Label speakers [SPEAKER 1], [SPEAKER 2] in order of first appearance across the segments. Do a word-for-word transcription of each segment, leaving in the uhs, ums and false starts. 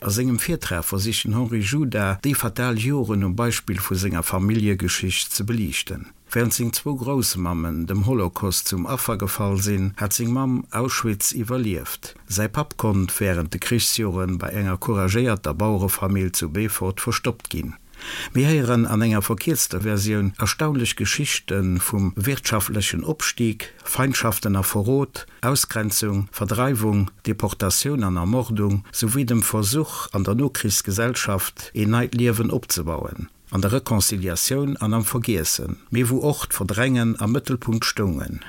[SPEAKER 1] A sengem Virtrag versicht den Henri Juda, déi fatal Joren um Beispill vu senger Familljegeschicht ze beliichten. Wärend seng zwou Groussmammen dem Holocaust zum Affer gefall sinn, hat seng Mamm Auschwitz iwwerlieft. Säi Papp konnt wärend de Krichsjoren bei enger couragéierter Bauerefamill zu Beefort verstoppt ginn. Mir héieren an enger verkierzter Versioun erstaunlech Geschichte vum wirtschaftlechen Opstig, Feindschaften a Verrot, Ausgrenzung, Verdreiwung, Deportatioun an Ermordung, souwéi dem Versuch, an der Nokrichsgesellschaft een neit Liewen opzebauen, an der Reconciliatioun an am Vergiessen, mee wou och d'Verdrängen am Mëttelpunkt stoungen.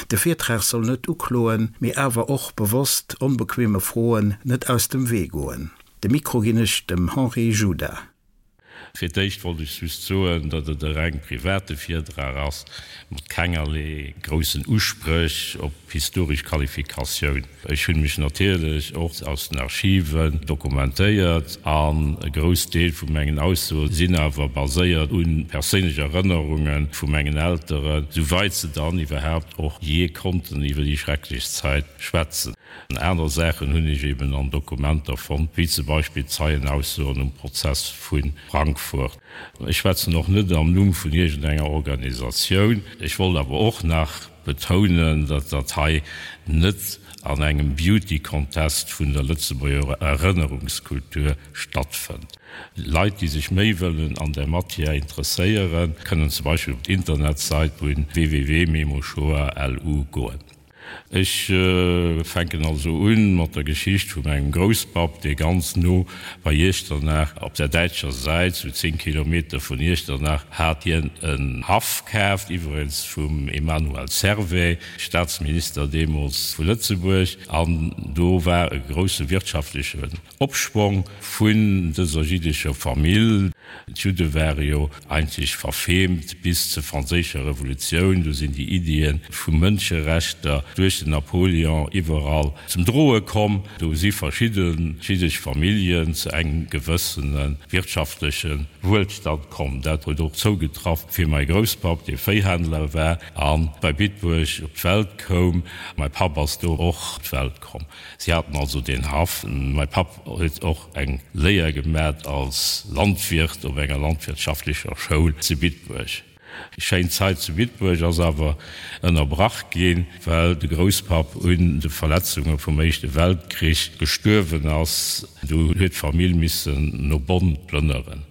[SPEAKER 1] De Virtrag soll net ukloen, mee awer och bewosst onbequeme Froen net aus dem Wee goen. De Mikro ginn ech dem Henri Juda.
[SPEAKER 2] Fir d'éischt wollt ech just soen, datt et e reng private Virdrag ass, mat kengerlee groussen Uspréch op historesch Qualifikatioun. Ech hunn mech natierlech och aus den Archiven dokumentéiert an e grouss Deel vu mengen Aussoe sinn awer baséiert u perséinlech Erënnerunge vu mengen Elteren, souwäit se dann iwwerhaapt och jee konnten iwwer déi schrecklech Zäit schwätzen. Aner Saachen hunn ech eben an Dokumenter fonnt, wéi zum Beispill Zeienaussoen um Prozess vu Frankfurt. Ech schwätzen och net am Numm vun iergendenger Organisatioun. Ech wollt awer och nach betounen, datt dat hei net an engem Beauty Contest vun der Lëtzebuerger Erënnerungskultur stattfënnt. Leit, déi sech méi wëllen an där Matière interesséieren, kënnen zum Beispill op d'Internetsäit vun www.memoshoah. Lu goen. Ech fänken also un mat der Geschicht vu mengem Grousspapp, dee ganz no bei Iechternach op der däitscher Säit, sou zéng Kilometer vun Iechternach, hat hien en Haff kaaft, iwweregens vum Emmanuel Servais, Staatsminister deemools vu Lëtzebuerg, an do war e grousse wirtschaftlechen Opschwong vun dëser jiddescher Famill. D'Judde ware jo eigentlech verfemt bis zur franséischer Revolutioun. Do sinn déi Iddie vu Mënscherechter duerch den Napoléon iwwerall zum Droe komm. Do si verschidde jiddesch Familljen zu engem gewëssene wirtschaftleche Wuelstand komm. Dat huet och zougetraff fir mäi Grousspapp, dee Véihändler war a bei Bitburg op d'Welt koum. Mäi Papp ass do och op d'Welt komm. Si haten also deen Haff. Mäi Papp huet och eng Léier gemat als Landwirt op enger landwirtschaftlecher Schoul zu Bitburg. Déi schéin Zait zu Bitburg ass awer ënnerbrach ginn, well de Grousspapp un de Verletzunge vum Éischte Weltkrich gestuerwen ass. Du huet d'Famill missen no Bonn plënneren.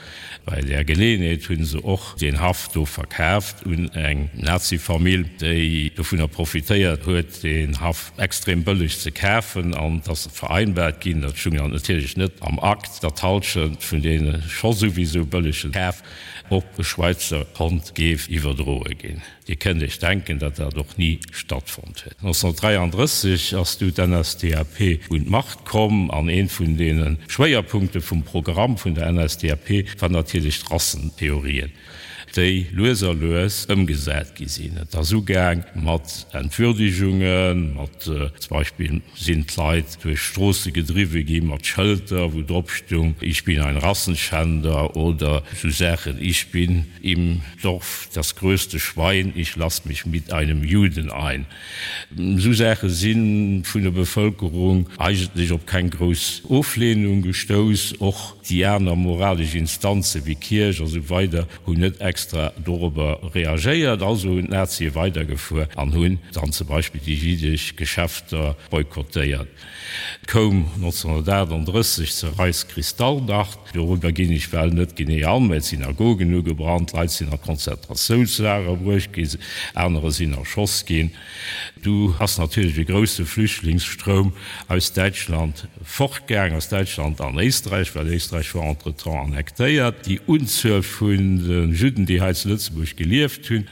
[SPEAKER 2] Bei där Geleeënheet hu se och deen Haff do verkaaft un eng Nazi-Famill, déi dovunner profitéiert huet, deen Haff extrem bëlleg ze kafen. An et ass vereinbart ginn, dat stung dann natierlech net am Akt, datt d'Hallschent vun deene scho souwisou bëllege Kaf op e Schwäizer Kont géif iwwerdroe ginn. Dir kënnt Iech denken, datt dat och ni stattfonnt huet. nonzénhunnertdräiandrësseg ass du d'N S D A P un d'Macht komm an ee vun deene Schwéierpunkte vum Programm vun der N S D A P war natierlech d'Rassentheorien, déi lues a lues ëmgesat gi sinn. Et ass ugaang mat Entwürdigungen, mat zum Beispill sinn d'Leit duerch d'Stroosse gedriwwe gi mat Schëlter, wou drop stung Ich bin ein Rassenschänder oder sou Saachen Ich bin im Dorf das größte Schwein, ich lass mich mit einem Juden ein. Sou Saache si vun der Bevëlkerung eigentlech op keng grouss Ofleenung gestouss. Och déi aner moralesch Instanze wéi Kierch a sou weider hunn net extra dorobber reagéiert. Also hunn d'Nazie weidergefuer an hunn dann zum Beispill déi jiddesch Geschäfter boykottéiert. Et koum nonzénhunnertaachtanddrësseg zur Reichskristallnacht. Dorobber ginn ech well net genee an, mä et sinn Synagogen ugebrannt, Leit sinn a Konzentratiounslager bruecht ginn, anerer sinn erschoss ginn. Du ass natierlech e grousse Flüchtlingsstroum aus Däitschland fortgaang, aus Däitschland an Éisträich, well Éisträich war entretemps annektéiert. Déi Unzuel vun de Judden, déi hei zu Lëtzebuerg gelieft hunn,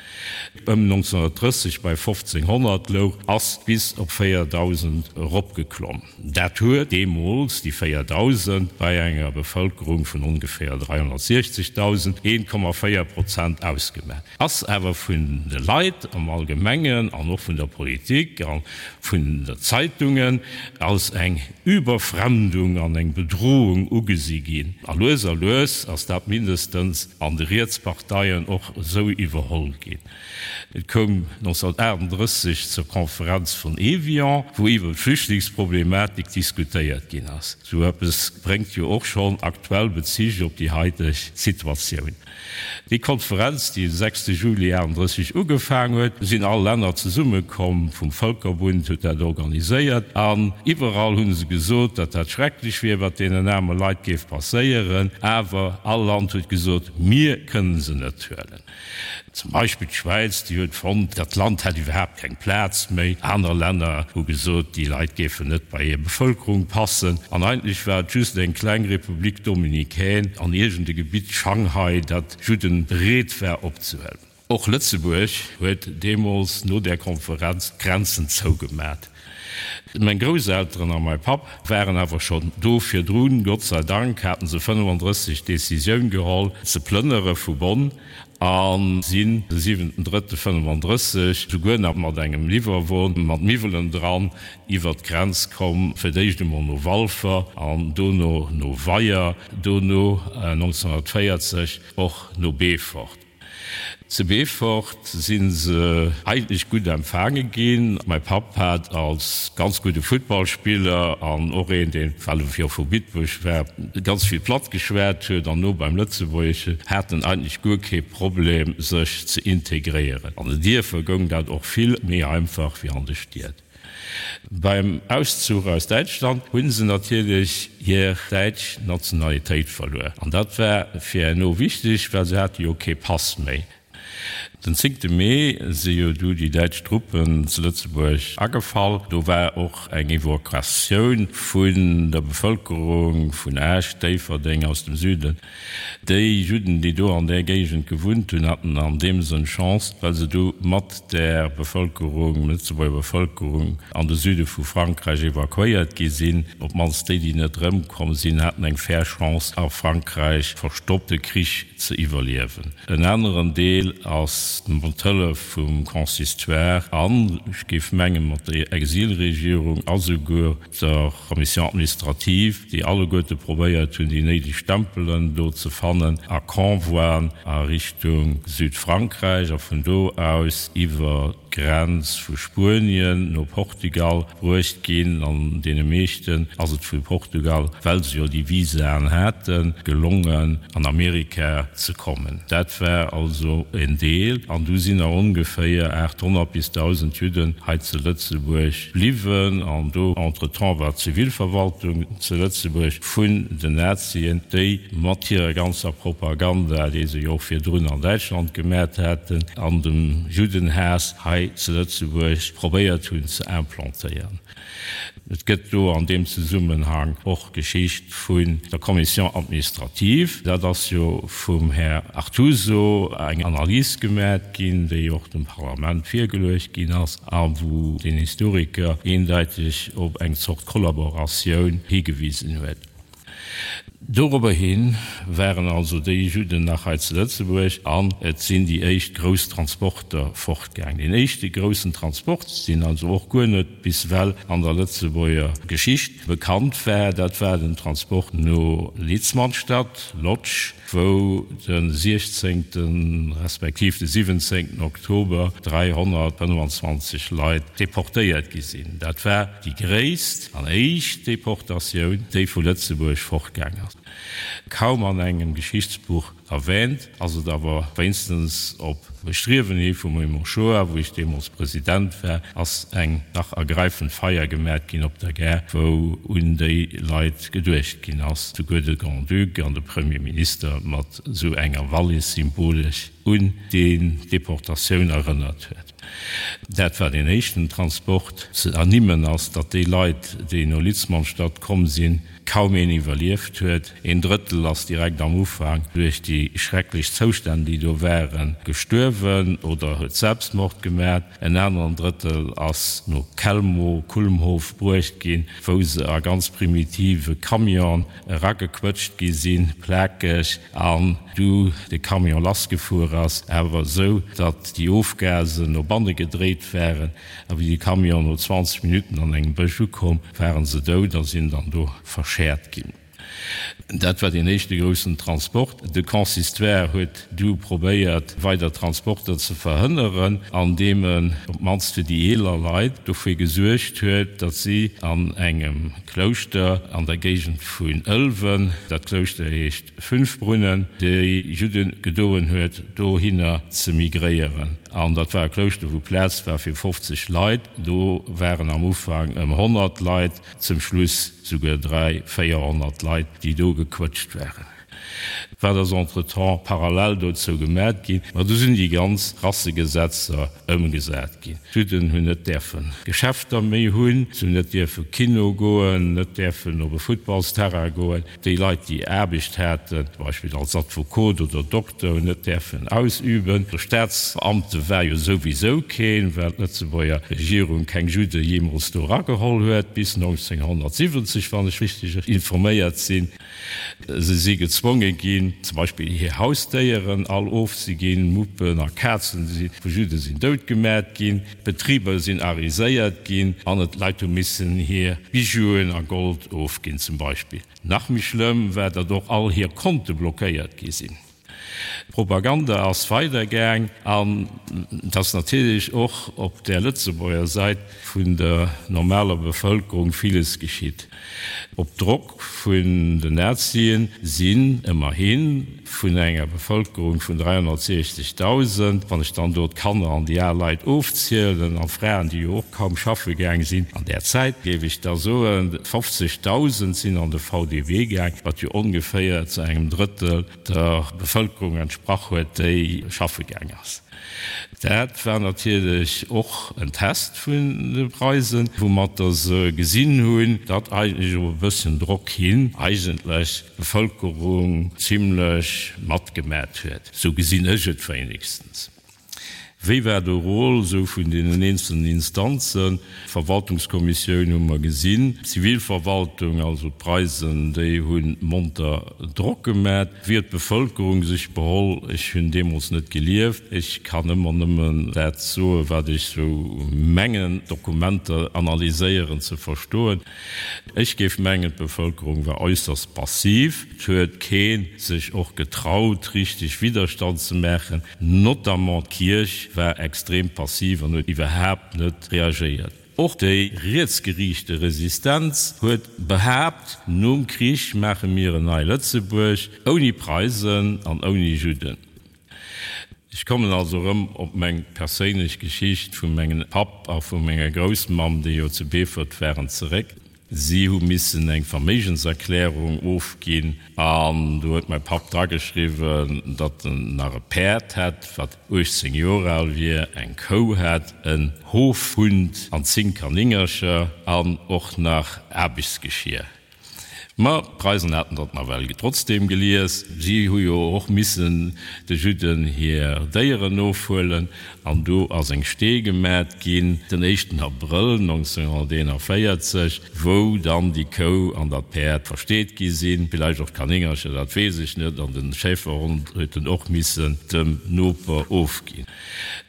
[SPEAKER 2] ëm nonzénhunnertdrësseg bei fofzénghonnert louch, ass bis op véierdausend eropgeklomm. Dat huet deemools, déi véierdausend, bei enger Bevëlkerung vun ongeféier dräihonnertsiechzegdausend, een Komma véier Prozent ausgemaach, ass awer vun de Leit am Allgemengen an och vun der Politik a vun der Zeitungen als eng Überfremdung an eng Bedrohung ugesi ginn. A lues a lues ass dat mindestens an de Rietsparteien, Parteien och esou iwwerholl ginn. Et koum nonzénhunnertaachtenddrësseg zur Konferenz vun Evian, wou iwwer d'Flüchtlingsproblematik diskutéiert ginn ass. Esou eppes bréngt jo och schonn aktuell Bezich op déi haiteg Situatioun. Déi Konferenz, déi de sechste Juli achtendrësseg ugefaang huet, sinn all Länner zesummekomm, vum Vëlkerbund huet dat organiséiert, an iwwerall hu se gesot, datt dat schrecklech wier, wat deenen aarme Leit géif passéieren, awer all Land huet gesot, mir kënnen se net huelen. Zum Beispill d'Schwäiz, déi huet fonnt, dat Land hätt iwwerhaapt keng Plaz méi. Aner Länner hu gesot, déi Leit géifen net bei hir Bevëlkerung passen. An eigentlech war et just eng kleng République dominicaine an iergend e Gebitt, Shanghai, dat Judden bereet war opzehuelen. Och Lëtzebuerg huet deemools no där Konferenz d'Grenzen zougemat. Meng Grousselteren a mäi Papp waren awer schonn do virdrun, Gott sei Dank haten se fënnefandrësseg d'Decisioun geholl ze plënnere vu Bonn a sinn de siwenten drëtte fënnefandrësseg souguer nach mat engem Liwwerwon mat Miwwelen dran iwwer d'Grenz komm, fir d'éischt emol no Walfer an dono no Weyer, dono nonzénhunnertvéierzeg och no Beefort. Zu Beefort si se eigentlech gutt empfaange ginn. Mäi Papp hat als ganz gudde Futtballspiller an och een, deen, well e jo vu Bitburg war, ganz vill Platt geschwat huet an no beim Lëtzebuergesche, hat en eigentlech guer kee Problem, sech ze integréieren. An den Dierfer goung dat och vill méi einfach wéi an de Stied. Beim Auszuch aus Däitschland hu se natierlech hir däitsch Nationalitéit verluer. An dat war fir herno wichteg, well se hate jo kee Pass méi. Den zéngte Mee si jo du déi däitsch Truppen zu Lëtzebuerg agefall. Do war och eng Evakuatioun vun der Bevëlkerung vun Esch, Déifferdeng, aus dem Süden. Déi Judden, déi do an där Géigend gewunnt hunn, haten an deem Sënn Chance, well se du mat där Bevëlkerung, Lëtzebuerger Bevëlkerung, an de Süde vu Frankräich evakuéiert gi sinn. Op d'mannst déi, déi net erëmkomm sinn, haten eng fair Chance, a Frankräich verstoppt de Krich ze iwwerliewen. En aneren Deel ass mat Hëllef vum Consistoire an, ech géif mengen, mat der Exilregierung a souguer der Commission administrative, déi alleguerte probéiert hunn, déi néideg Stempelen do ze fannen, a Convoien a Richtung Südfrankräich a vun do aus iwwer d'Grenz vu Spuenien no Portugal bruecht ginn. An deene meeschten ass et vu Portugal, well se jo déi Visaen haten, gelongen, an Amerika ze kommen. Dat war also en Deel. An du sinn nach ongeféier aathonnert bis dausend Judden hei zu Lëtzebuerg bliwwen. An do entretemps war d'Zivilverwaltung zu Lëtzebuerg vun den Nazien, déi mat hirer ganzer Propaganda, déi se jo och virdrun an Däitschland gemat haten, an dem Juddenhaass hei zu Lëtzebuerg probéiert hunn ze implantéieren. Et gëtt do an deem Zesummenhang och d'Geschicht vun der Commission administrative. Dat ass jo vum Här Artuso eng Analys gemat ginn, déi och dem Parlament virgeluecht ginn ass a wou den Historiker eendeiteg op eng Zort Kollaboratioun higewisen huet. Dorobber hi waren also déi Judden nach hei zu Lëtzebuerg an et sinn déi éischt grouss Transporter fortgaang. Deen éischte groussen Transport, deen also och guer net bis ewell an der Lëtzebuerger Geschicht bekannt war, dat war den Transport no Litzmannstadt, Lodz, wou de siechzéngten respektiv de siwwenzéngten Oktober dräihonnertfënnwandzwanzeg Leit deportéiert gi sinn. Dat war déi gréisst an éischt Deportatioun, déi vu Lëtzebuerg fortgaang ass. Kaum an engem Geschichtsbuch erwähnt, ass et awer wéinstens op Bestriewen hi vum Raymond Schoar, wou ech deemools President war, ass eng dach ergreifend Feier gemat ginn op der Gare, wou un déi Leit geduecht ginn ass, souguer de Grand-Duc an de Premier Minister mat esou enger Wallis symbolesch un déi Deportatioun erënnert huet. Dat war deen éischten Transport. Ze ernimmen ass, datt déi Leit, déi no Litzmannstadt komm sinn, kaum een iwwerlieft huet. Een Drëttel ass direkt am Ufank duerch déi schrecklech Zoustänn, déi do waren, gestuerwen oder huet Selbstmord gemat. En aneren Drëttel ass no Chelmo, Kulmhof, bruecht ginn, wou se a ganz primitive Camionen eragequëtscht gi sinn, plakeg, an du de Camion lassgefuer ass, awer esou, datt déi Ofgasen no banne gedréit waren. A wéi de Camion no zwanzeg Minutten an engem Bësch ukomm, waren se dout a sinn dann do verschäert ginn. Dat war den éischte groussen Transport. De Consistoire huet du probéiert, weider Transporter ze verhënneren, andeem en op d'mannst fir déi eeler Leit dofir gesuergt huet, datt si an engem Klouschter an der Géigend vun Ëlwen, dat Klouschter heescht Fünfbrunnen, déi Judde gedoen huet, dohinner ze migréieren. An dat war e Klouschter, wou Plaz war fir fofzeg Leit. Do waren am Ufank ëm honnert Leit, zum Schluss souguer dräi, véierhonnert Leit, déi do gequëtscht waren. Wat ass entretemps parallel dozou gemat ginn? Ma du sinn déi ganz Rassegesetzer ëmgesat ginn. D'Judden hunn net däerfe Geschäfter méi hunn, se hunn net dierfe Kino goen, net däerfen op e Futtballsterrain goen. Déi Leit, déi Aarbecht haten, zum Beispill als Advokot oder Dokter, hunn net däerfen ausüben. De Staatsbeamte war jo souwisou keen, well d'Lëtzebuerger Regierung keng Judde jeemools do erageholl huet, bis neunzehnhundertsiwwenzeg, wann ech richteg informéiert sinn. Se si gezwonge ginn, zum Beispill hir Hausdéieren all ofzeginn, Muppen a Kazen vu Judde sinn doutgemat ginn, Betriber sinn ariséiert ginn an et Leit hu missen hir Bijouen a Gold ofginn zum Beispill. Nach méi schlëmm war, datt och all hir Konte blockéiert gi sinn. D'Propaganda ass weidergaang an et ass natierlech och op der Lëtzebuerger Säit vun der normaler Bevëlkerung villes geschitt. Op Drock vun den Nazien sinn ëmmerhi vun enger Bevëlkerung vun dräihonnertsiechzegdausend, wann ech dann do d'Kanner an déi al Leit ofzielen an d'Fraen, déi jo och kaum schaffe gaang sinn an där Zäit, géif ech da soen, fofzegdausend sinn an de V D W gaang, wat jo ongeféier zu engem Drëttel der Bevëlkerung entsprach huet, déi schaffe gaang ass. Dat war natierlech och en Test vun de Preisen, woumatter se gesinn hunn, datt eigentlech op e bëssen Drock hin eigentlech d'Bevëlkerung zimlech matgemat huet. Sou gesinn ech et wéinegstens. Wéi war de Rôle sou vun deenen eenzelnen Instanzen? D'Verwaltungskommissioun hu mer gesinn, d'Zivilverwaltung, also d'Preisen, déi hu monter Drock gemat. Wéi huet d'Bevëlkerung sech beholl? Ech hunn deemools net gelieft. Ech kann ëmmer nëmmen dat soen, wat ech sou mengen, d'Dokumenter analyséieren, ze verstoen. Ech géif mengen, d'Bevëlkerung war äusserst passiv. Et huet kee sech och getraut, richteg Widderstand ze maachen. Notamment d'Kierch war extrem passiv an huet iwwerhaapt net reagéiert. Och déi rietsgeriichte Resistenz huet behaapt, Nom Krich maache mir en nei Lëtzebuerg, ouni Preisen an ouni Judden. Ech kommen also erëm op meng perséinlech Geschicht vu mengem Papp a vu menger Groussmamm, déi jo zu Beefort waren, zeréck. Si hu missen eng Verméigenserklärung ofginn an do huet mäi Papp drageschriwwen, datt en nach e Päerd hätt, wat uechtzéng Joer al wier, eng Kou hätt, en Hofhund an zéng Kanéngercher an och nach Aarbechtsgeschier. Ma d'Preisen haten dat nawell trotzdeem gelies. Si hu jo och missen de Judden hir Déieren ofhuelen an do ass eng Stee gemat ginn den éischten Abrëll neunzehnhunderteenundvéierzeg, wou dann déi Kou an dat Päerd versteet gi sinn, villäicht och d'Kanéngercher, dat weess ech net, an de Schäferhond huet en och missen dem Noper ofginn.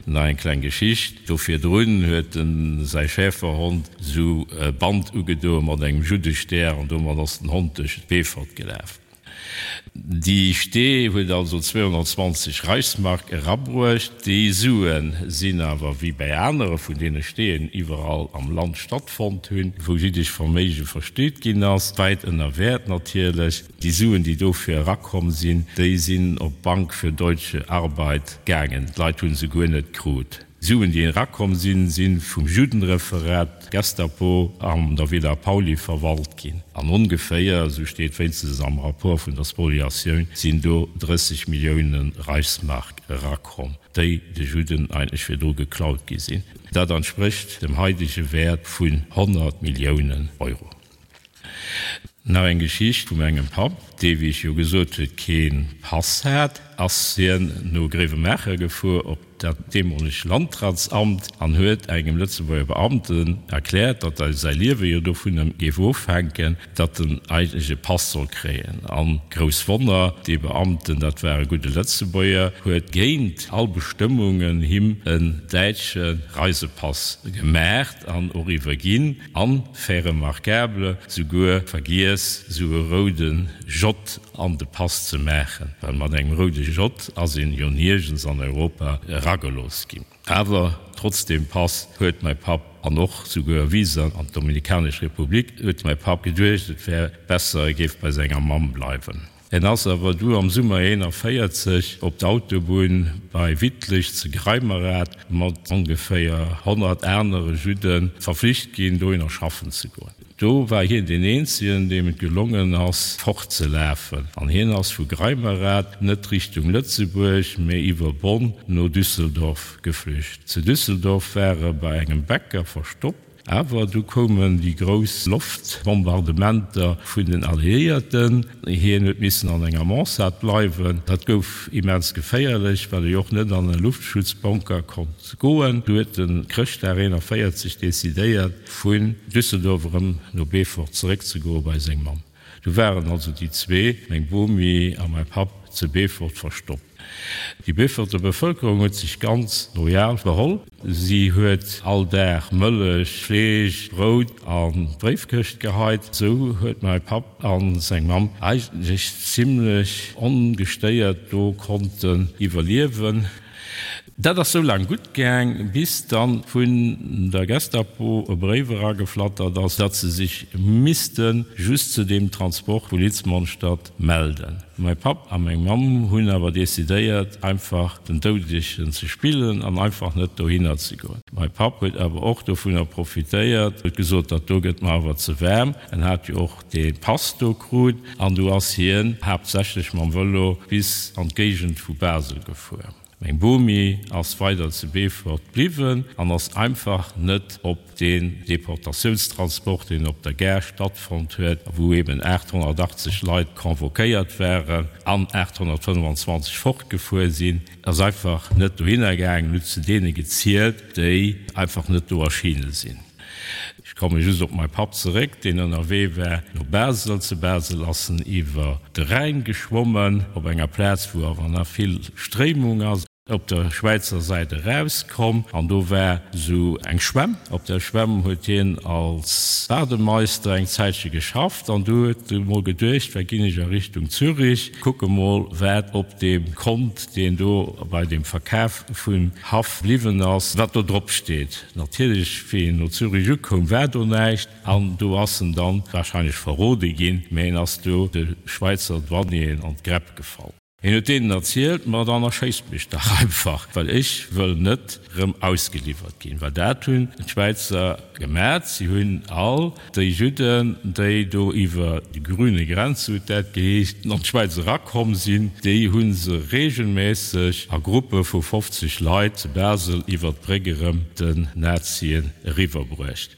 [SPEAKER 2] Nach eng kleng Geschicht, Do virdrun huet en säi Schäferhond sou e Band ugedoe mat engem Juddestär an domat ass den Hond duerch Beefort gelaf. Déi Stee huet also zweehonnertzwanzeg Reichsmark erabruecht. Déi Sue sinn awer, wéi bäi anere vun deene Steeën iwwerall am Land stattfonnt hunn, wou jiddesch Verméige versteet ginn ass, wäit ënner Wäert natierlech. Déi Suen, déi dofir erakomm sinn, déi sinn op d'Bank für deutsche Arbeit gaangen. D'Leit hu se guer net krut. D'Suen, déi erakomm sinn, si vum Judenreferat, Gestapo, an der Villa Pauly verwalt ginn. An ongeféier, esou steet wéinstens am Rapport vun der Spoliatioun, sinn do drësseg Millioune Reichsmark erakomm, déi de Judden eigentlech virdru geklaut gi sinn. Dat entsprécht dem haidege Wäert vun honnert Milliounen Euro. Nach eng Geschicht vu mengem Papp, dee, wéi ech jo gesot huet, kee Pass hat, ass hien no Gréiwemaacher gefuer op dat deemolegt Landratsamt an huet engem Lëtzebuerger Beamten erkläert, datt säi Liewe jo dovunner géif ofhänken, datt en eigentlech e Pass soll kréien. An, grouss Wonner, dee Beamten, dat war e gudde Lëtzebuerger, huet géint all Bestëmmungen him en däitsche Reisepass gemaacht an och iwwerginn an, fait remarquable, souguer vergiess, sou e roude J an de Pass ze maachen, well mat engem roude J ass een jo niergens an Europa eragelooss ginn. Awer trotz deem Pass huet mäi Papp, an och souguer Visa an d'Dominikanesch Republik, huet mäi Papp geduecht, et wär besser, e géif bei senger Mamm bleiwen. En ass awer du am Summer eenanvéierzeg op d'Autobunn bei Wittlich zu Greimerath mat ongeféier honnert anere Judde verflicht ginn, dohinner schaffen ze goen. Do war hien deen eenzegen, deem et gelongen ass, fortzelafen. An hien ass vu Greimerath net Richtung Lëtzebuerg, mee iwwer Bonn no Düsseldorf geflücht. Zu Düsseldorf war e bei engem Bäcker verstoppt. Awer du koumen déi grouss Loftbombardementer vun den Alliéierten. Hien huet missen an enger Mansard bleiwen. Dat gouf immens geféierlech, well e jo och net an e Luftschutzbunker konnt goen. Du huet en Chrëschtdag eenanvéierzeg decidéiert, vun Düsseldorf erëm no Beefort zeréckzegoe bei seng Mamm. Du waren also déi zwee, meng Bomi a mäi Papp, zu Beefort verstoppt. Déi Beeforter Bevëlkerung huet sech ganz loyal beholl. Si huet all Dag Mëllech, Fleesch, Brout an d'Bréifkëscht geheit. Sou huet mäi Papp a seng Mamm eigentlech zimlech ongestéiert do konnten iwwerliewen. Dat ass sou laang gutt gaang, bis dann vun der Gestapo e Bréif erageflattert ass, datt se sech misste just zu deem Transport vu Litzmannstadt melden. Mäi Papp a meng Mamm hunn awer decidéiert, einfach den Doudegen ze spillen an einfach net dohinner ze goen. Mäi Papp huet awer och dovunner profitéiert, huet gesot, dat do gëtt mer awer ze waarm. En hat jo och dee Pass do krut an du ass hien haaptsächlech mam Vëlo bis an d'Géigend vu Basel gefuer. Meng Bomi ass weider zu Beefort bliwwen an ass einfach net op deen Deportatiounstransport, deen op der Gare stattfonnt huet, wou eben aathonnertachtzeg Leit convoquéiert waren an aathonnertfënnwanzwanzeg fortgefuer sinn, ass einfach net dohinner gaangen, huet zu deene gezielt, déi einfach net do erschiene sinn. Ech komme just op mäi Papp zeréck, deen ënnerwee war no Basel. Zu Basel ass en iwwer de Rhäin geschwommen, op enger Plaz, wou awer nach vill Stréimung ass, op der Schwäizer Säit erauskomm an do war esou eng Schwämm. Op där Schwämm huet hien als Bademeister eng Zäitche geschafft an du huet e mol geduecht, Wat ginn ech a Richtung Zürich, kucke mol, wat op deem Kont, deen do bei deem Verkaf vum Haff bliwwen ass, wat do drop steet. Natierlech, wéi en no Zürich ukoum, war do näischt an do ass en dann wahrscheinlech verrode ginn, mä en ass do de Schwäizer Douanieren an d'Gräpp gefall. Hien huet deenen erzielt, Ma dann erschéisst mech dach einfach, well ech wëll net rëm ausgeliwwert ginn. Well dat hunn d'Schwäizer gemat, si hunn all déi Judden, déi do iwwer die grüne Grenze, huet dat geheescht, an d'Schwäiz erakomm sinn, déi hu se regelmässeg a Gruppe vu fofzeg Leit zu Basel iwwer d'Bréck erëm den Nazien eriwwerbruecht.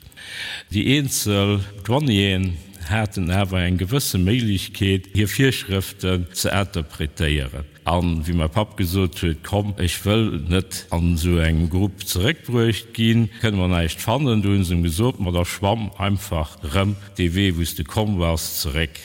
[SPEAKER 2] Déi eenzel Douanieren haten awer eng gewësse Méiglechkeet, hir Virschrëften ze interpretéieren. An wéi mäi Papp gesot huet, Komm, ech wëll net an esou engem Grupp zeréckbruecht ginn, kënne mer näischt fannen. Du hunn se em gesot, Ma da schwamm einfach erëm dee Wee, wou s de komm bass, zeréck.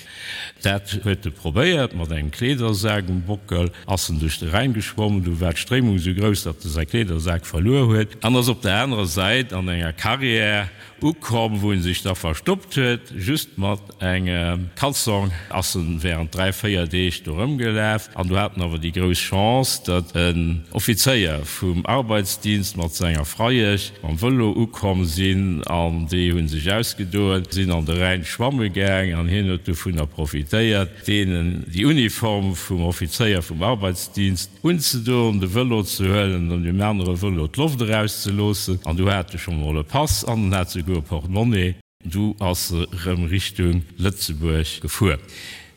[SPEAKER 2] Dat huet e probéiert, mat engem Kleedersak um Bockel ass en duerch de Rhäin geschwommen. Du war d'Stréimung esou grouss, datt e säi Kleedersak verluer huet an ass op der anerer Säit an enger Carrière ukomm, wou en sech da verstoppt huet. Just mat engem Kalzong ass en während dräi, véier Deeg do rëmgelaf. An du hat en awer déi grouss Chance, datt en Offizéier vum Arbeitsdienst mat senger Freiesch mam Vëlo ukomm sinn an déi hu sech ausgedoen, sinn an de Rhäin schwamme gaang an hien huet dovunner profitéiert, deenen déi Uniform vum Offizéier vum Arbeitsdienst unzedoen, de Vëlo ze huelen an deem anere Vëlo d'Loft erauszeloossen. An du hat e scho mol e Pass an en hat souguer e Portemonnaie. Du ass e rëm Richtung Lëtzebuerg gefuer.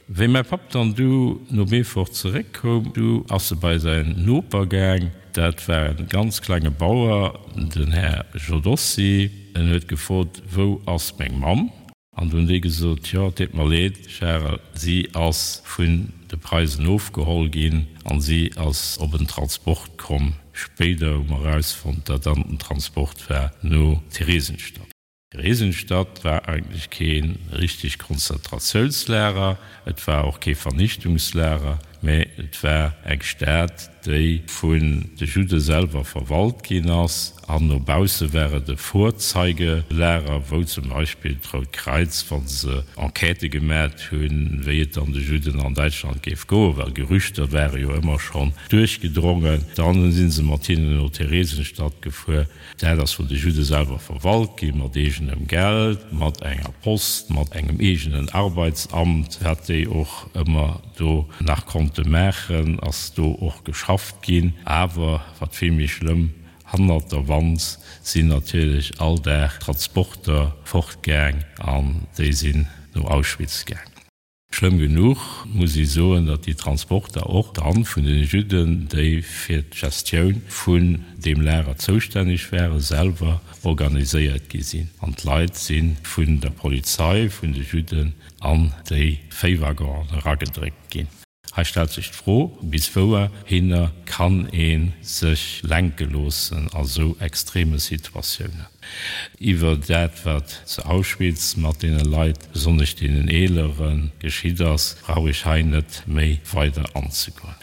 [SPEAKER 2] Wéi mäi Papp dann du no Beefort zeréckkoum, du ass e bei säin Noper gaang. Dat war e ganz klenge Bauer, den Här Jodossi. En huet gefrot, Wou ass meng Mamm? An du hunn déi gesot, Jo, et deet mer leed, Charel, si ass vun de Preisen ofgeholl ginn an si ass op en Transport komm Spéider hu mer erausfonnt, datt dann den Transport war no Theresienstadt. Theresienstadt war eigentlech kee richtegt Konzentratiounslager, et war och kee Vernichtungslager, mä et war eng Stad, déi vun de Judde selwer verwalt ginn ass, an no bausse war et e Vorzeigelager, wou zum Beispill d'Rout Kräiz, wa se Enquêtë gemat hunn, wéi et dann de Judden an Däitschland géif goen, well Gerüchter ware jo ëmmer schonn duerchgedrongen, dann si se mat hinnen no Theresienstadt gefuer. Dat ass vun de Judde selwer verwalt ginn, mat eegenem Geld, mat enger Post, mat engem eegenen Arbeitsamt, wat déi och ëmmer do nach konnte maachen, ass do och geschafft ginn. Awer wat vill méi schlëmm, hannert der Wand sinn natierlech all Dag Transporter fortgaang an déi sinn no Auschwitz gaang. Schlëmm genuch muss ee soen, datt déi Transporter och dann vun den Judden, déi fir d'Gestioun vun deem Lager zoustänneg waren, selwer organiséiert gi sinn. An d'Leit si vun der Polizei, vun de Judden an déi Véiwaggonen eragedréckt ginn. Hei stellt sech d'Fro, bis wouhinner kann ee sech lenke loossen a sou extreme Situatiounen? Iwwer dat, wat zu Auschwitz mat deene Leit, besonnesch deenen Eeleren, geschitt ass, brauch ech hei net méi weider anzegoen.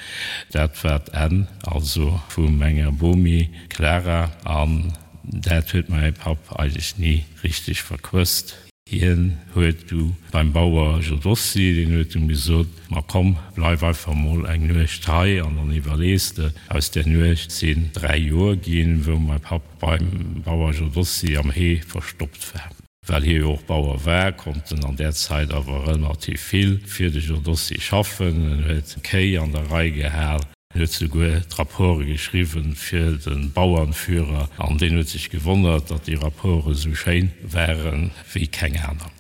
[SPEAKER 2] Dat war d'Enn also vu menger Bomi Clara an dat huet mäi Papp eigentlech ni richteg verquësst. Hien huet du beim Bauer Jodossi, deen huet em gesot, Ma komm, bleif einfach emol eng Nuecht hei an dann iwwerlees de. Aus där Nuecht sinn dräi Joer ginn, wou mäi Papp beim Bauer Jodossi am Hee verstoppt war. Well hie jo och Bauer war, konnt en an där Zäit awer relativ vill fir de Jodossi schaffen. En huet Kéi an der Rei gehal. En huet souguer d'Rapporte geschriwwen fir de Bauernführer, an deen huet sech gewonnert, datt déi Rapporte sou schéin waren wéi keng aner.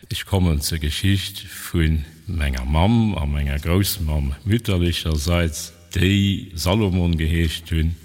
[SPEAKER 2] Ech kommen zur Geschicht vu menger Mamm a menger Groussmamm mütterlecherseits, déi Salomon geheescht hunn.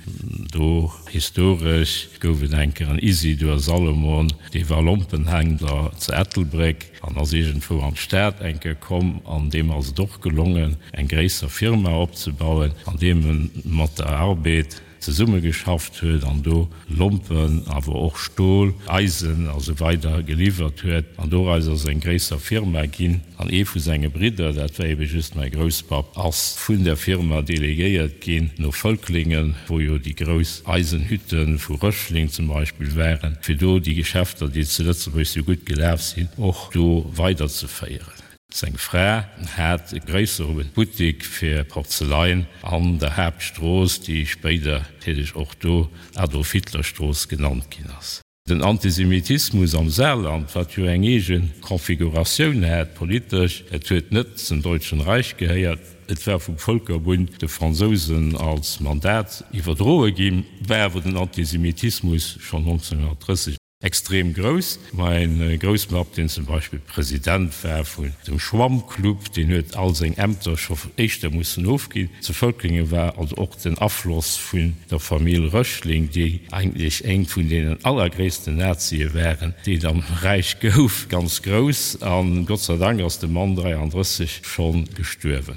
[SPEAKER 2] Do historesch gouf et eng Kéier en Isidor Salomon, dee war Lompenhändler zu Ettelbréck an ass iergendwou an d'Stad eng Kéier komm an deem ass et och gelongen, eng gréisser Firma opzebauen, an deem e mat der Arbed zesummegeschafft huet an do Lompen, awer och Stol, Eisen a sou weider geliwwert huet. An doraus ass eng gréisser Firma ginn. An ee vu senge Bridder, dat war ebe just mäi Grousspapp, ass vun der Firma delegéiert ginn no Völklingen, wou jo déi grouss Eisenhütte vu Röchling zum Beispill waren, fir do déi Geschäfter, déi zu Lëtzebuerg sou gutt gelaf sinn, och do weiderzeféieren. Seng Fra hat e gréissere Buttik fir Porzeläin an der Haaptstrooss, déi spéider natierlech och do Adolf-Hitler-Strooss genannt ginn ass. Den Antisemitismus am Saarland, wat jo eng eege Konfiguratioun hat politesch, et huet net zum Deutschen Reich gehéiert, et war vum Völkerbund de Fransousen als Mandat iwwerdroe ginn, war awer den Antisemitismus schonn neunzehnhundertdrësseg Extrem grouss. Mäin Grousspapp, deen zum Beispill President war vun dem Schwammclub, deen huet all seng Ämter scho éischter mussen ofginn. Zu Völklingen war also och den Afloss vun der Famill Röchling, déi eigentlech eng vun deenen allergréissten Nazie waren, déi et am Räich gouf, ganz grouss. A Gott sei Dank ass de Mann dräiandrësseg scho gestuerwen.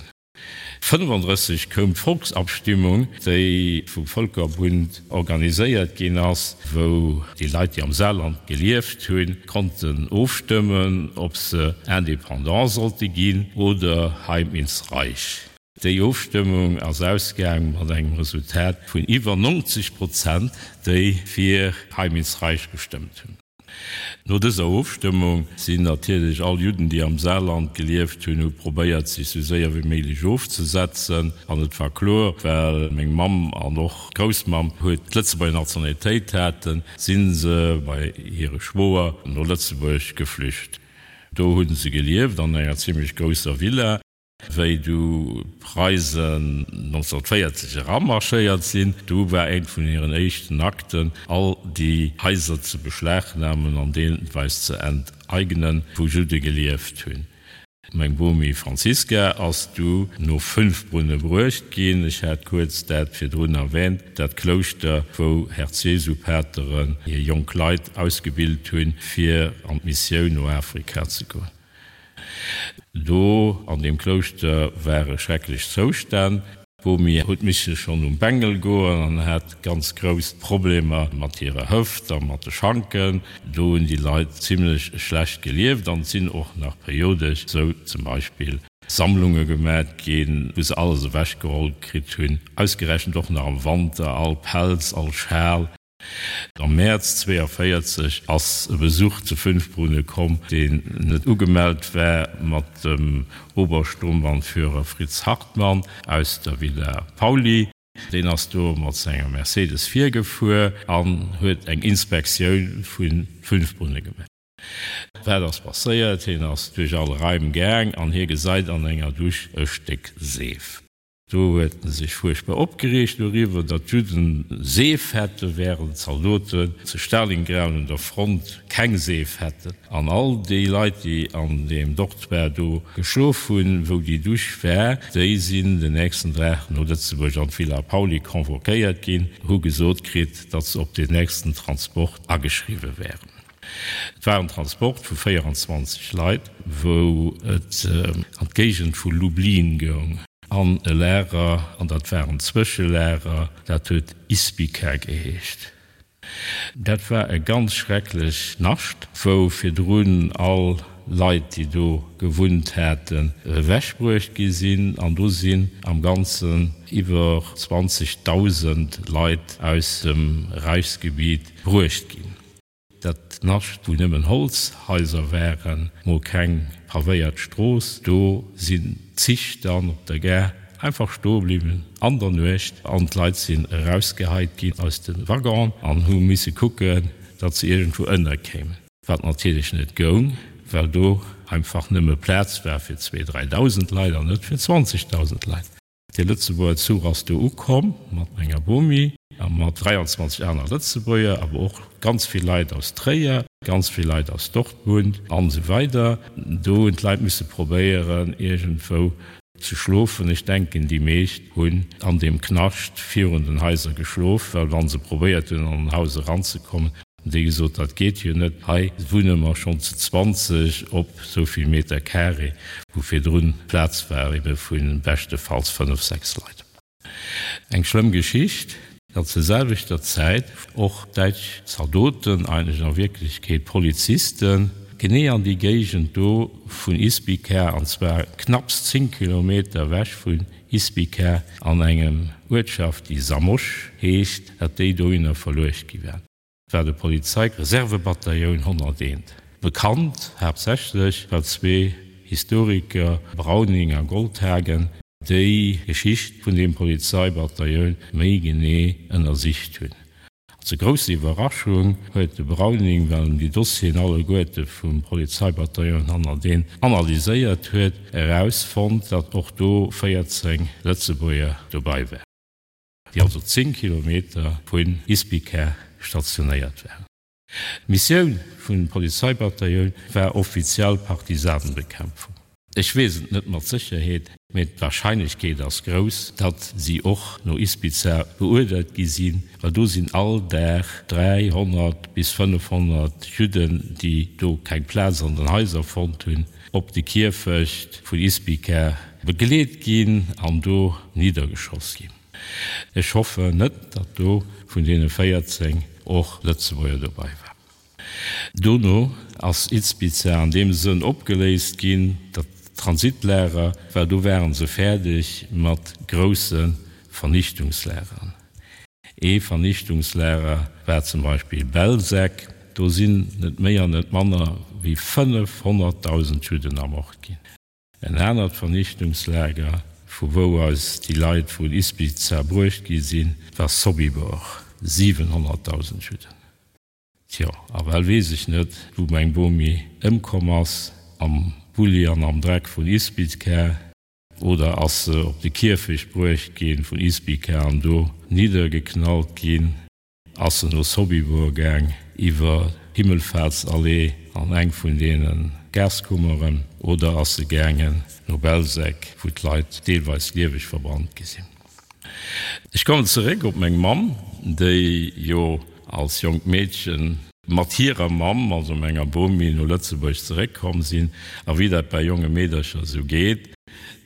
[SPEAKER 2] fënnefandrësseg koum d'Volksabstimmung, déi vum Völkerbund organiséiert ginn ass, wou déi Leit, déi am Saarland gelieft hunn, konnten ofstëmmen, ob se indépendant sollte ginn oder Heim ins Reich. Déi Ofstëmmung ass ausgaang mat engem Resultat vun iwwer neunzeg Prozent, déi fir Heim ins Reich gestëmmt hunn. No dëser Ofstëmmung sinn natierlech all Judden, déi am Saarland gelieft hunn, hu probéiert, sech sou séier wéi méiglech ofzesetzen. An et war kloer, well meng Mamm an och d'Groussmamm huet d'Lëtzebuerger Nationalitéit haten, si se bei hire Schwoer no Lëtzebuerg geflücht. Do hu se gelieft an enger zimmlech grousser Villa. Wéi du d'Preisen neunzehnhundertvéierzeg eramarschéiert sinn, du war eent vun hiren éischten Akten, all déi Haiser ze beschlagnamen an deelweis ze enteignen, wou Judde gelieft hunn. Meng Bomi Franziska ass du no Fünfbrunne bruecht ginn. Ech hat kuerz dat virdrun erwähnt, dat Klouschter, wou Herz-Jesu-Pateren hir jonk Leit ausgebilt hunn, fir an d'Missioun no Afrika ze goen. Do an deem Klouschter ware schrecklech Zoustänn. D'Bomi huet misse schonn um Bengel goen an hat ganz grouss Problemer mat hirer Hëft a mat de Schanken. Do hunn déi Leit zimlech schlecht gelieft an et sinn och nach periodesch sou zum Beispill Sammlunge gemat ginn, wou se alles ewechgeholl kritt hunn, ausgerechent och nach am Wanter, all Pelz, all Schal. Am Mäerz zwéiavéierzeg ass e Besuch zu Fünfbrunnen komm, deen net ugemellt war, mat dem Obersturmbannführer Fritz Hartmann aus der Villa Pauly. Deen ass do mat senger Mercedes virgefuer an huet eng Inspektioun vu Fünfbrunnen gemaach. Wat ass passéiert? Hien ass duerch all Raim gaang an hie gesäit an enger Dusch e Stéck Seef. Do huet en sech fuerchtbar opgereegt doriwwer, datt d'Judden Seef hätten, während d'Zaldoten zu Stalingrad un der Front keng Seef hätten. An all déi Leit, déi an deem Dortoir do geschlof hunn, wou déi Dusch war, déi sinn den nächsten Dag no Lëtzebuerg an d'Villa Pauly convoquéiert ginn, hu gesot kritt, datt se op deen nächsten Transport ageschriwwe wären. Et war en Transport vu véieranzwanzeg Leit, wou et an d'Géigend vu Lublin goung, an e Lager, an dat war en Zwëschelager, dat huet Izbica geheescht. Dat war e ganz schrecklech Nascht, wou virdrun all Leit, déi do gewunnt haten, ewechbruecht gi sinn, an do sinn am Ganzen iwwer zwanzegdausend Leit aus dem Reichsgebiet bruecht ginn. Dat Nascht, wou nëmmen Holzhaiser waren, mol keng pavéiert Strooss, do sinn d'Zich dann op der Gare einfach stoe bliwwen an der Nuecht an d'Leit sinn erausgeheit ginn aus de Waggonen an hu misse kucken, datt se iergendwou ënnerkéimen, wat natierlech net goung, well do einfach nëmme Plaz war fir zwee, dräidausend Leit an net fir zwanzegdausend Leit. De Lëtzebuerger Zuch ass do ukomm mat menger Bomi a mat dräianzwanzeg aner Lëtzebuerger, awer och ganz vill Leit aus Tréier, ganz vill Leit aus Dortmund an esou weider. Do hunn d'Leit misse probéieren, iergendwou ze schlofen. Ech denken, déi meescht hunn an deem Knascht virun den Haiser geschlof, well wa se probéiert hunn, an en Haus eranzekommen, Hunn déi gesot, dat geet jo net, hei wunne mer schonn zu zwanzeg op esou vill Meter carré, wou virdrun Plaz war ebe vu beschtefalls fënnef, sechs Leit. Eng schlëmm Geschicht, datt zur selwechter Zäit och däitsch Zaldoten, eigentlech a Wierklechkeet Polizisten, genee an déi Géigend do vun Izbica, an zwar knapps zéng Kilometer ewech vun Izbica, an engem Uertschaft, déi Zamość heescht, datt déi dohinner verluecht gi waren. War de Polizei-Reservebatailloun honnerteent. Bekannt haaptsächlech, well zwee Historiker, Brauning a Goldhagen, déi Geschicht vun deem Polizeibatailloun méi genee ënnersicht hunn. Zur grousser Iwwerraschung huet de Brauning, well en déi Dossieren alleguerte vum Polizeibatailloun honnerteent analyséiert huet, erausfonnt, datt och do véierzéng Lëtzebuerger dobei waren. Déi also zéng Kilometer vun Izbica stationéiert waren. D'Missioun vun Polizeibatailloun war offiziell Partisanenbekämpfung. Ech weess et net mat Sécherheet, mee d'Warscheinlechkeet ass grouss, datt si och no Izbica beuerdert gi sinn, well do sinn all Dag dräihonnert bis fënnefhonnert Judden, déi do keng Plaz an den Haiser fonnt hunn, op de Kierfecht vun Izbica begleet ginn an do niddergeschoss ginn. Ech hoffen net, datt do vun deene véierzéng och Lëtzebuerger dobei waren. Dono ass Izbica an deem Sënn opgeléist ginn, datt d'Transitlager, well do ware se fäerdeg mat grousse Vernichtungslagern. Ee Vernichtungslager war zum Beispill Belzec, do sinn net méi an net manner wéi fënnefhonnertdausend Judden ermort ginn. En anert Vernichtungslager, vu wou eis déi Leit vun Izbica bruecht gi sinn, war Sobibor, siwenhonnertdausend Judden. Tjo, a well weess ech net, wou meng Bomi ëmkomm ass, am Bulli an am Dreck vun Izbica, oder ass se op de Kierfecht bruecht gi vun Izbica an do niddergeknallt ginn. Ass se no Sobibor gaang, iwwer d'Himmelfahrtsallee an eng vun deene Gaskummeren, oder ass se gaangen no Belzec, wou d'Leit deelweis lieweg verbrannt gi sinn? Ech kommen zeréck op meng Mamm, déi jo als jonkt Meedchen mat hirer Mamm, also menger Bomi, no Lëtzebuerg zeréckkomm sinn. A wéi dat bei jonge Meedercher esou geet,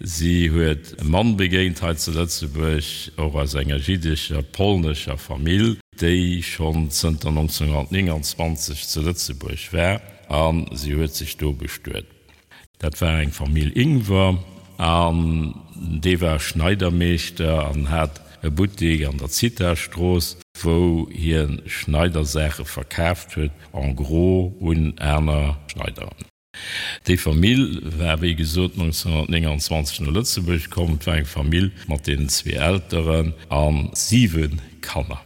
[SPEAKER 2] si huet e Mann begéint hei zu Lëtzebuerg, och aus enger jiddescher, polnescher Famill, déi schonn zënter nonzénghunnertnénganzwanzeg zu Lëtzebuerg war, a si huet sech do bestuet. Dat war eng Famill Ingwer an dee war Schneidermeeschter an hat e Buttek an der Zithastrooss, wou hie Schneidersaache verkaaft huet, en gros un aner Schneideren. Déi Famill war wéi gesot nonzénghunnertnénganzwanzeg no Lëtzebuerg komm. Et war eng Famill mat deenen zwee Elteren a siwe Kanner.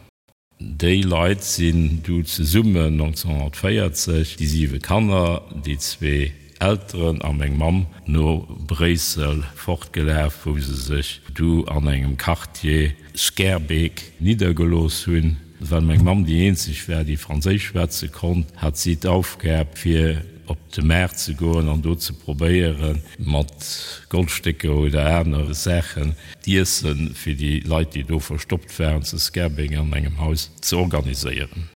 [SPEAKER 2] Déi Leit sinn du zesummen nonzénghunnertvéierzeg, déi siwe Kanner, déi zwee Elteren a meng Mamm, no Bréissel fortgelaf, wou se sech du an engem Quartier, Schaerbeek, niddergelooss hunn. Well meng Mamm déi eenzeg war, déi Franséisch schwätze konnt, hat si d'Aufgab, fir op de Maart ze goen an do ze probéieren, mat Goldstécker oder anere Saachen d'Iesse fir déi Leit, déi do verstoppt waren, zu Schaerbeek an engem Haus ze organiséieren.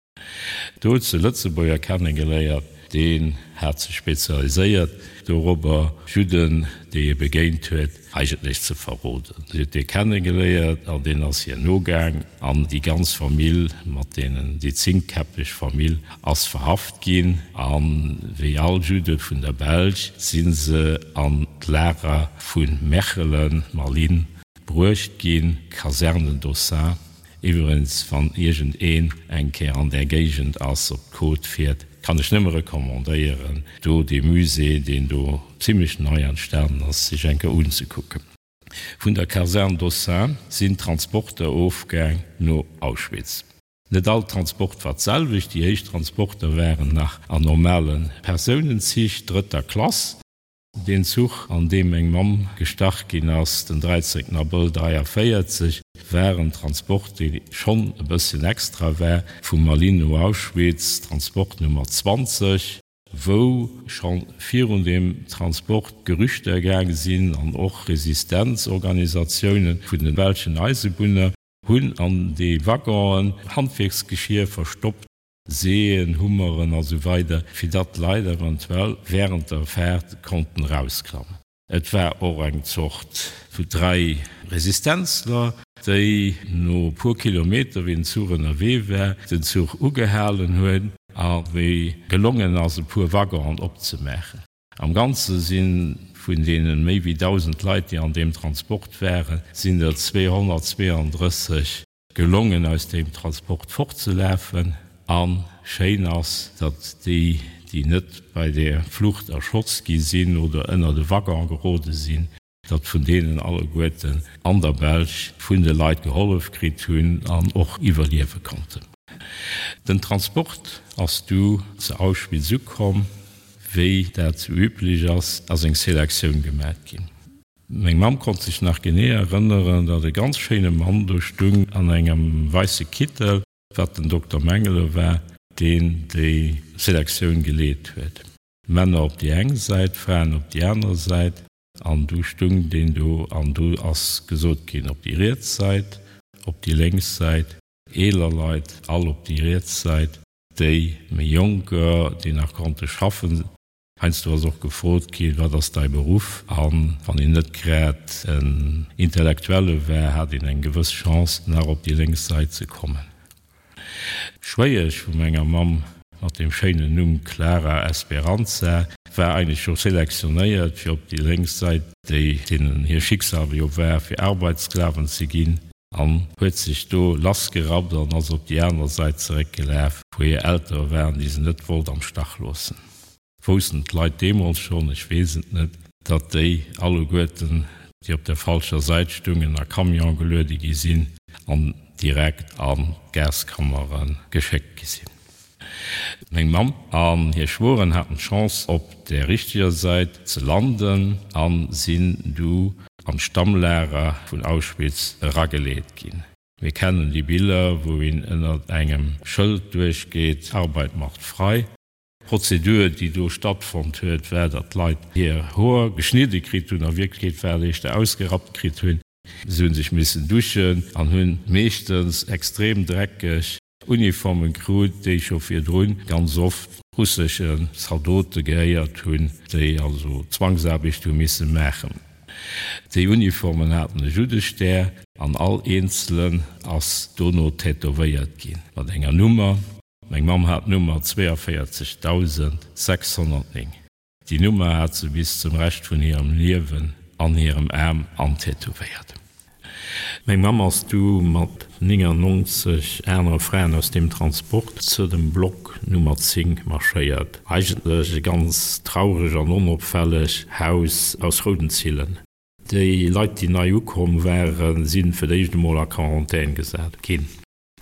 [SPEAKER 2] Do huet se e Lëtzebuerger kennegeléiert, deen hat sech spezialiséiert dorobber, Judden, déi e begéint huet, eigentlech ze verroden. Si huet dee kennegeléiert an deen ass hir nogaang an déi ganz Famill mat deenen, déi zéngkäppeg Famill ass verhaft ginn a wéi all Judde vun der Belsch si se an d'Lager vu Mechelen, Malines, bruecht ginn, Caserne Dossin. Iwwregens, wann iergend een eng Kéier an där Géigend ass, op d'Côte fiert, kann ech nëmme recommandéieren, do dee Musée, deen do zimlech nei entstanen ass, sech eng Kéier unzekucken. Vun der Kaserne Dossin sinn d'Transporter ofgaang no Auschwitz. Net all Transport war d'selwecht. Déi éischt Transporter waren nach an normale Persounenzich drëtter Klass. Deen Zuch, an deem meng Mamm gestach ginn ass, den dräizéngten Abrëll dräiavéierzeg, war en Transport, dee schonn e bësschen extra war, vu Malines no Auschwitz, Transport Nummer zwanzeg, wou scho virun deem Transport Gerüchter gaange sinn an och Resistenzorganisatiounen vun de belschen Eisebunner hunn an déi Waggonen Handwierksgeschier verstoppt, Seeën, Hummeren a sou weider, fir datt d'Leit eventuell während der Faart konnten erausklammen. Et war och eng Zort vu dräi Resistenzler, déi no e puer Kilometer, wéi den Zuch ënnerwee war, den Zuch ugehalen hunn a wéi gelongen ass, e puer Waggonen opzemaachen. Am Ganze si vun deene méi wéi dausend Leit, déi an deem Transport waren, sinn der zweehonnertzweeandrësseg gelongen, aus deem Transport fortzelafen. A schéin ass, datt déi, déi net bei der Flucht erschoss gi sinn oder ënner de Waggon gerode sinn, datt vun deenen alleguerten an der Belsch vun de Leit gehollef kritt hunn an och iwwerliewe konnten. Den Transport ass du zu Auschwitz ukomm. Wéi dat sou üblech ass, ass eng Selektioun gemat ginn. Meng Mamm konnt sech nach genee erënneren, datt e ganz schéine Mann do stung an engem weisse Kittel, wat den Dokter Mengele war, deen déi Selektioun geleet huet. Männer op déi eng Säit, Fraen op déi aner Säit. An du stung deen do an du ass gesot ginn, op déi riets Säit, op déi lénks Säit, eeler Leit all op déi riets Säit, déi méi Jonker, déi nach konnte schaffen. Heiansdo ass och gefrot ginn, Wat ass däi Beruff? A wann een net grad en Intellektuelle war, hat een eng gewëss Chance, nach op déi lénks Säit ze kommen. D'Schwéiesch vu menger Mamm mat deem schéinen Numm Clara Esperanza war eigentlech scho selektionéiert fir op déi lénks Säit, déi deenen hir Schicksal jo war, fir Arbeitssklaven ze ginn, an huet sech do lassgerappt an ass op déi aner Säit zeréckgelaf, wou hir Eltere waren, déi se net wollt am Stach loossen. Woussten d'Leit deemools schonn, ech weess et net, datt déi alleguerten, déi op der falscher Säit stungen, a Camione geluede gi sinn an direkt an d'Gaskammere geschéckt gi sinn. Meng Mamm an hir Schwoeren haten d'Chance, op der richteger Säit ze landen a sinn du an d'Stammlager vun Auschwitz erageleet ginn. Mir kennen déi Biller, wou een ënnert engem Schëld duerchgeet, Arbeit macht frei. D'Prozedur, déi do stattfonnt huet, war, datt d'Leit hir Hoer geschnidde kritt hunn, a Wierklechkeet war et éischter ausgerappt kritt hunn. Se hu sech missen duschen an hunn meeschtens extrem dreckeg Uniforme krut, déi scho virdrun ganz oft russeschen Zaldote gehéiert hunn, déi also Zwangsaarbecht hu misse maachen. Déi Uniformen haten e Juddestär an all eenzelen ass dono tätowéiert ginn mat enger Nummer. Meng Mamm hat d'Nummer zweiundvierzigtausendsechshundertneun. Déi Nummer hat se bis zum Rescht vun hirem Liewen an hirem Aarm antätowéiert. Meng Mamm ass du mat néngannonzeg anere Fraen aus deem Transport zu dem Block Nummer zéng marschéiert. Eigentlech e ganz traureg an onopfälleg Haus aus rouden Zillen. Déi Leit, déi nei ukomm waren, si fir d'éischt emol a Quarantän gesat ginn.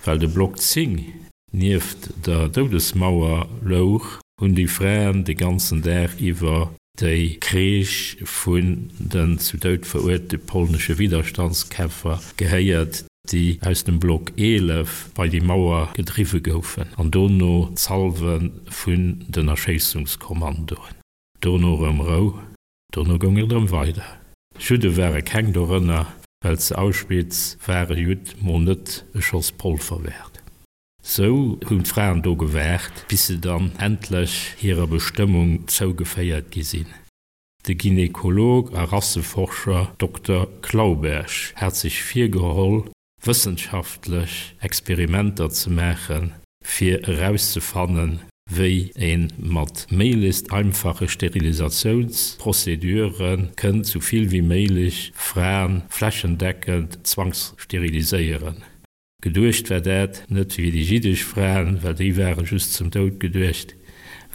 [SPEAKER 2] Well de Block zéng nieft der Doudesmauer louch, hunn déi Fraen de ganzen Dag iwwer déi Kreesch vun den zu Doud veruerte polnesche Widerstandskämpfer gehéiert, déi aus dem Block eelef bei déi Mauer gedriwwe goufen, an dono d'Salve vun den Erschéissungskommandoen. Dono erëm Rou, dono goung et erëm weider. Judde ware keng dorënner, well zu Auschwitz war e Judd mol net e Schoss Polver wäert. Sou hunn d'Fraen do gewaart, bis se dann endlech hirer Bestëmmung zougeféiert gi sinn. De Gynekolog a Rasseforscher Dokter Clauberg hat sech virgeholl, wëssenschaftlech Experimenter ze maachen, fir erauszefannen, wéi ee mat méiglechst einfache Sterilisatiounsprozedure kënnt sou vill wéi méiglech Frae flächendeckend zwangssteriliséieren. Geduecht war dat net fir déi jiddesch Fraen, well déi ware just zum Doud geduecht,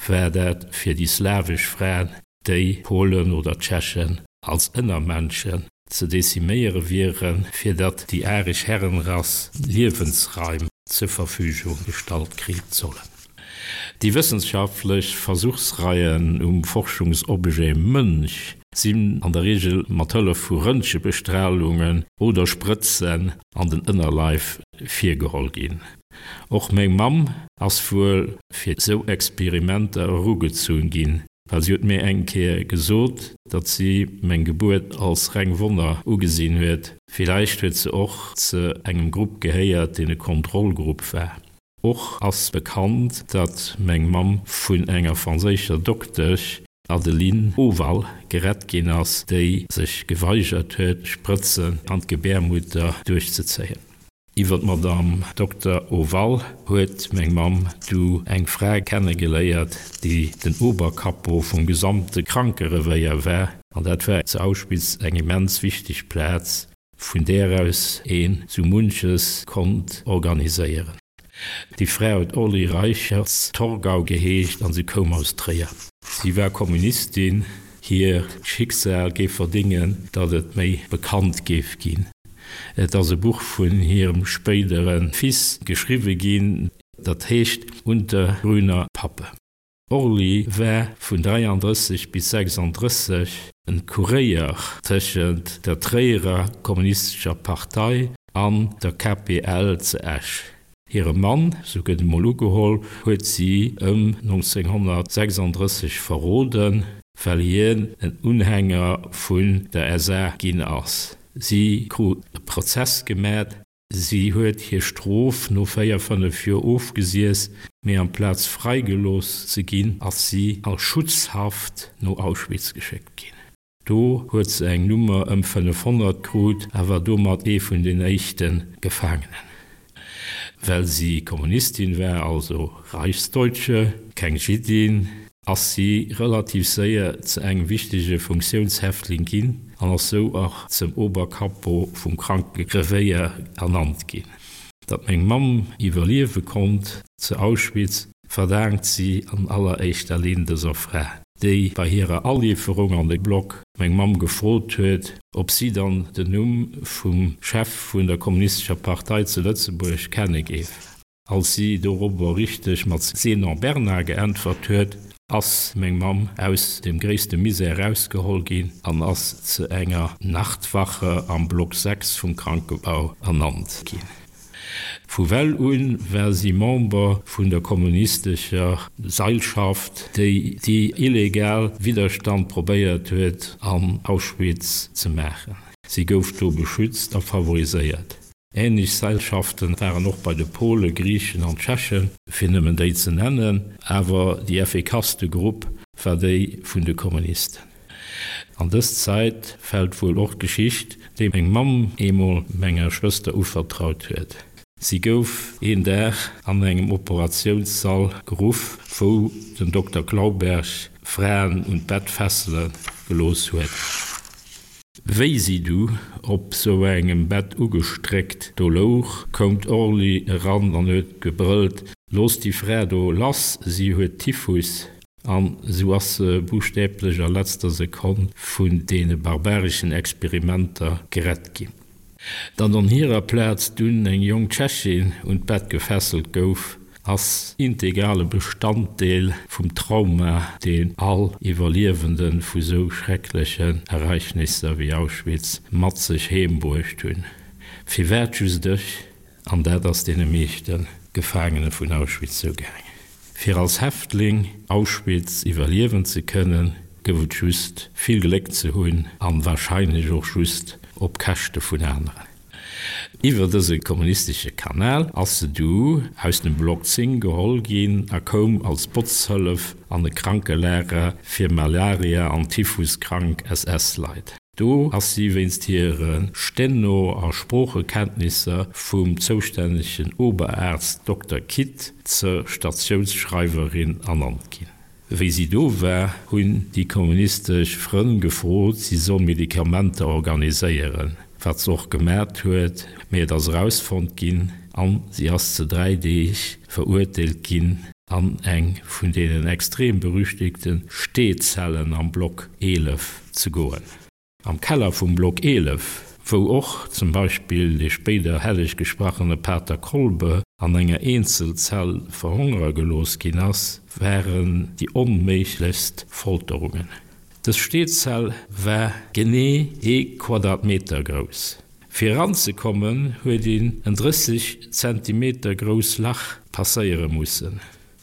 [SPEAKER 2] war dat fir déi slawesch Fraen, déi Polen oder Tschechen als Ënnermenschen ze deziméiere wieren, fir datt déi aresch Herrenrass Liewensraim zur Verfügung gestallt kritt sollen. Déi wëssenschaftlech Versuchsreien um Forschungsobjet Mënsch sinn an der Reegel mat Hëllef vu Röntgebestralungen oder Sprëtzen an den Ënnerleif virgeholl ginn. Och meng Mamm ass wuel fir esou Experimenter erugezunn ginn, well si huet mir eng Kéier gesot, datt si meng Gebuert als reng Wonner ugesinn huet. Villäicht huet se och ze engem Grupp gehéiert, deen e Kontrollgrupp war. Och ass bekannt, datt meng Mamm vun enger franséischer Doktesch, Adeline Oval, gerett ginn ass, déi sech geweigert huet, Sprëtzen an d'Gebärmutter duerchzezéien. Iwwer d'Madame Dokter Oval huet meng Mamm du eng Fra kennegeléiert, déi den Oberkapo vum gesamte Krankerevéier war, an dat war zu Auschwitz eng immens wichteg Plaz, vun där aus een sou munches konnt organiséieren. Déi Fra huet Orly Reichertz-Torgau geheescht an si koum aus Tréier. Si war Kommunistin. Hiert Schicksal géif verdéngen, datt et méi bekannt géif ginn. Et ass e Buch vun hirem spéidere Fils geschriwwe ginn, dat heescht Unter grüner Pappe. Orly war vun dräiandrësseg bis sechsandrësseg en Kuréier tëschent der Tréierer Kommunistescher Partei an der K P L ze Esch. Hire Mann, sou gëtt emol ugeholl, huet si ëm nonzénghonnertsechsandrësseg verroden, well hien en Unhänger vun der S A ginn ass. Si krut e Prozess gemat. Si huet hir Strof no véier, fënnef Joer ofgesiess, mee amplaz fräigelooss ze ginn, ass si a Schutzhaft no Auschwitz geschéckt ginn. Do huet se eng Nummer ëm fënnefhonnert krut a war domat ee vun den éischte Gefaangenen. Well si Kommunistin war, also Reichsdeutsche, keng Jiddin, ass si relativ séier ze engem wichtege Funktiounshäftling ginn an ass sou och zum Oberkapo vum Krankerevéier ernannt ginn. Datt meng Mamm iwwerliewe konnt zu Auschwitz, verdaankt si an alleréischter Linn dëser Fra, déi bei hirer Aliwwerung an de Block meng Mamm gefrot huet, ob si dann den Numm vum Chef vun der Kommunistescher Partei zu Lëtzebuerg kenne géif. Als si dorobber richteg mat Zénon Bernard geäntwert huet, ass meng Mamm aus dem gréisste Misär erausgeholl ginn an ass zu enger Nachtwache am Block sechs vum Krankebau ernannt ginn. Vu well un war si Member vun der kommunistescher Seilschaft, déi déi illegal Widderstand probéiert huet an Auschwitz ze maachen. Si gouf do beschützt a favoriséiert. Ähnlech Seilschaften waren och bei de Pole, Griichen an Tschechen, fir nëmmen déi ze nennen, awer déi effikasste Grupp war déi vun de Kommunisten. An dës Zäit fält wuel och d'Geschicht, déi meng Mamm eemol menger Schwëster uvertraut huet. Si gouf een Dag an engem Operatiounssall geruff, wou den Dokter Clauberg Fraen un d'Bett fessele gelooss huet. Wéi si du op sou engem Bett ugestréckt do louch, koum d'Orly eran an huet gebrëllt, Loosst déi Fra do lass, si huet Typhus! An sou ass se buschtäblech a letzter Sekonn vun deene barbareschen Experimenter gerett ginn. Datt an hirer Plaz dunn eng jonk Tschechin un d'Bett gefesselt gouf, ass integrale Bestanddeel vum Trauma, deen all Iwwerliewende vu sou schrecklechen Ereignisser wéi Auschwitz mat sech heem bruecht hunn. Firwat just ech? An dat ass deene meeschte Gefaangene vun Auschwitz sou gaangen. Fir als Häftling Auschwitz iwwerliewen ze kënnen, gouf et just vill Gléck ze hunn an warscheinlech och just op Käschte vun aneren. Iwwer dëse kommunistesche Kanal ass se du aus dem Block zéng geholl ginn a koum als Botzhëllef an e Krankelager fir Malaria an Typhus-krank S S-Leit. Do ass si wéinst hire Steno a Sproochekenntnisser vum zoustännegen Oberarzt Dokter Kitt zur Statiounsschreiwerin ernannt ginn. Wéi si do war, hunn déi kommunistesch Frënn gefrot, si soll Medikamenter organiséieren, wat se och gemat huet, mee et ass erausfonnt ginn an si ass zu dräi Deeg verurteelt ginn, an eng vun deenen extrem berüchtegte Steezellen am Block eelef ze goen. Am Keller vum Block eelef, wou och zum Beispill dee spéider helleg gesprachene Pater Kolbe an enger Eenzelzell verhongere gelooss ginn ass, waren déi onméiglechst Folterungen. Dës Steezell war genee ee Quadratmeter grouss. Fir eranzekommen, huet een en drësseg Zentimeter grouss Lach passéiere mussen.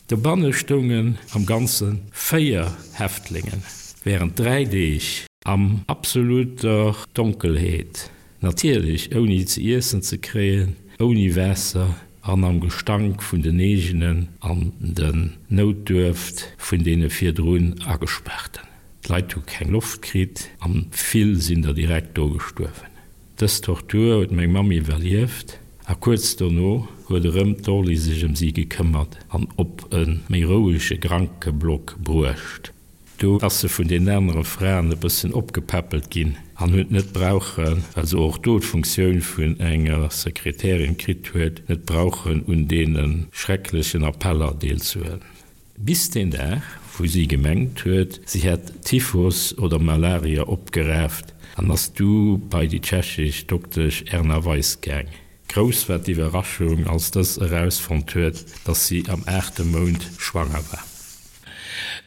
[SPEAKER 2] Dobanne stoungen am Ganze véier Häftlingen, wärend dräi Deeg am absoluter Donkelheet, natierlech ouni ze iessen ze kréien, ouni Waasser an am Gestank vun den eegenen an den Noutduerft vun deene virdrun Agespaarten. D'Leit hu keng Loft kritt an vill sinn der direkt do gestuerwen. Dës Tortur huet meng Mamm iwwerlieft a kuerz dono huet erëm d'Orly sech ëm si gekëmmert an op e méi rouege Krankeblock bruecht. Do ass se vun den anere Fraen e bëssen opgepäppelt ginn an huet net brauchen, well se och do d'Funktioun vun enger Sekretärin kritt huet, net brauchen un deene schrecklechen Appeller deelzehuelen. Bis deen Dag, wou si gemengt huet, si hätt Typhus oder Malaria opgeraaft an ass du bei déi tschechesch Doktesch Erna Weiss gaang. Grouss war d'Iwwerraschung, als dës erausfonnt huet, dass si am aachte Mount schwanger war.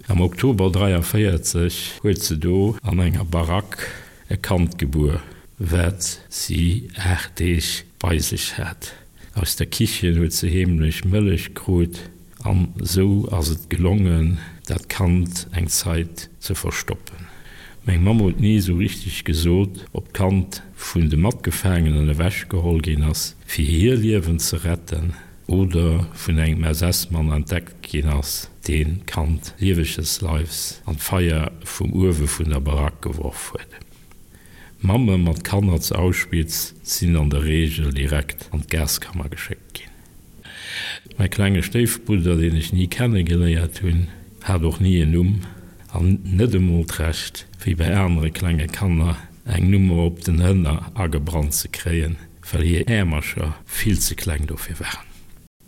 [SPEAKER 2] Am Oktober dräianvéierzeg huet se do an enger Barack e Kand gebuer, wat si aacht Deeg bei sech hat. Aus der Kichen huet se heemlech Mëllech krut an esou ass et gelongen, dat Kand eng Zait ze verstoppen. Meng Mamm huet ni esou richteg gesot, ob d'Kand vun de Matgefaangenen ewechgeholl ginn ass, fir hir Liewen ze retten, oder vun engem S S-Mann entdeckt ginn ass, deen d'Kand lieweges Leifs an d'Feier vum Uewe vun der Barack geworf huet. Mamme mat Kanner zu Auschwitz sinn an der Reegel direkt an d'Gaskammer geschéckt ginn. Mäi klenge Stéifbrudder, deen ech ni kennegeléiert hunn, hat och ni en Numm an net emol d'Recht, wéi bei anere klenge Kanner, eng Nummer op den Hënner agebrannt ze kréien, well hir Äermercher vill ze kleng dofir waren.